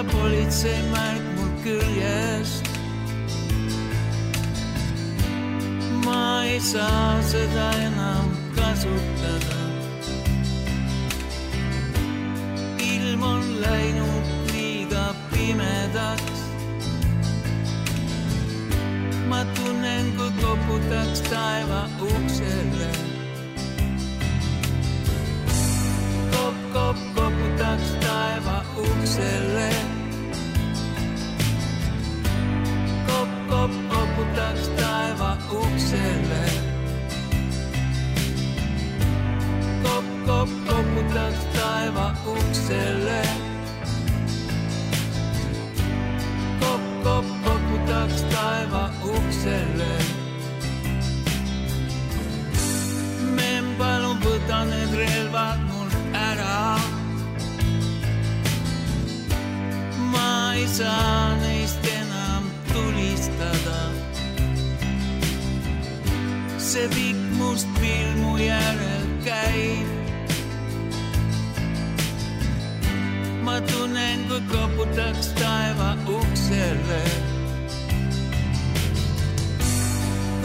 Politsei märk mul küljest. Ma ei saa seda enam kasutada. Ilm on läinud liiga pimedaks. Ma tunnen, kui koputaks taeva uksele. Kop, kop, koputaks taeva uksele. Kop, kop, koputaks taeva uksele. Kop, kop, koputaks taeva uksele. Kop, kop, koputaks taeva uksele. Men palun võta need relvad mul ära. Ma ei saa neist enam tulistada. See pikk must pilmu järel käib. Ma tunnen, kui koputaks taeva uksele.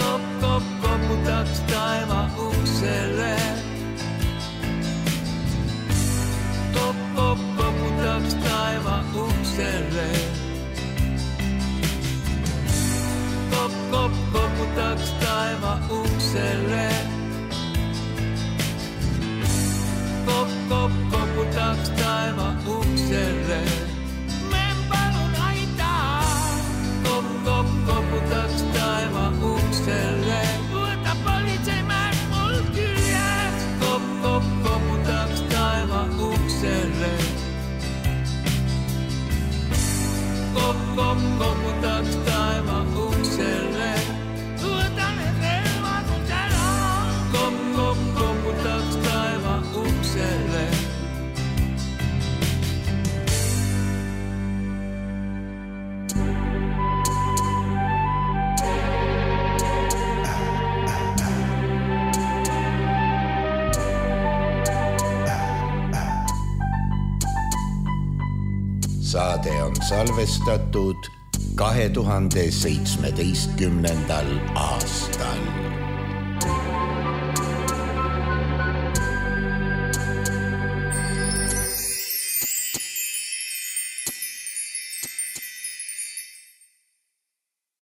Kop, kop, koputaks taeva uksele. Kop, kop, koputaks taeva uksele. Kop, kop, koputaks taeva uksele. Kop, kop, koputaks taeva uksele. Men palun aita. Kop, kop, koputaks taeva uksele. Võta politseimärk mul küljes. Kop, kop, koputaks taeva uksele. Kop, kop, koputaks taeva uksele. Võta need relvad mult ära. Kop, kop, koputaks taeva uksele. Saade on salvestatud kahe tuhande seitsmeteistkümnendal aastal.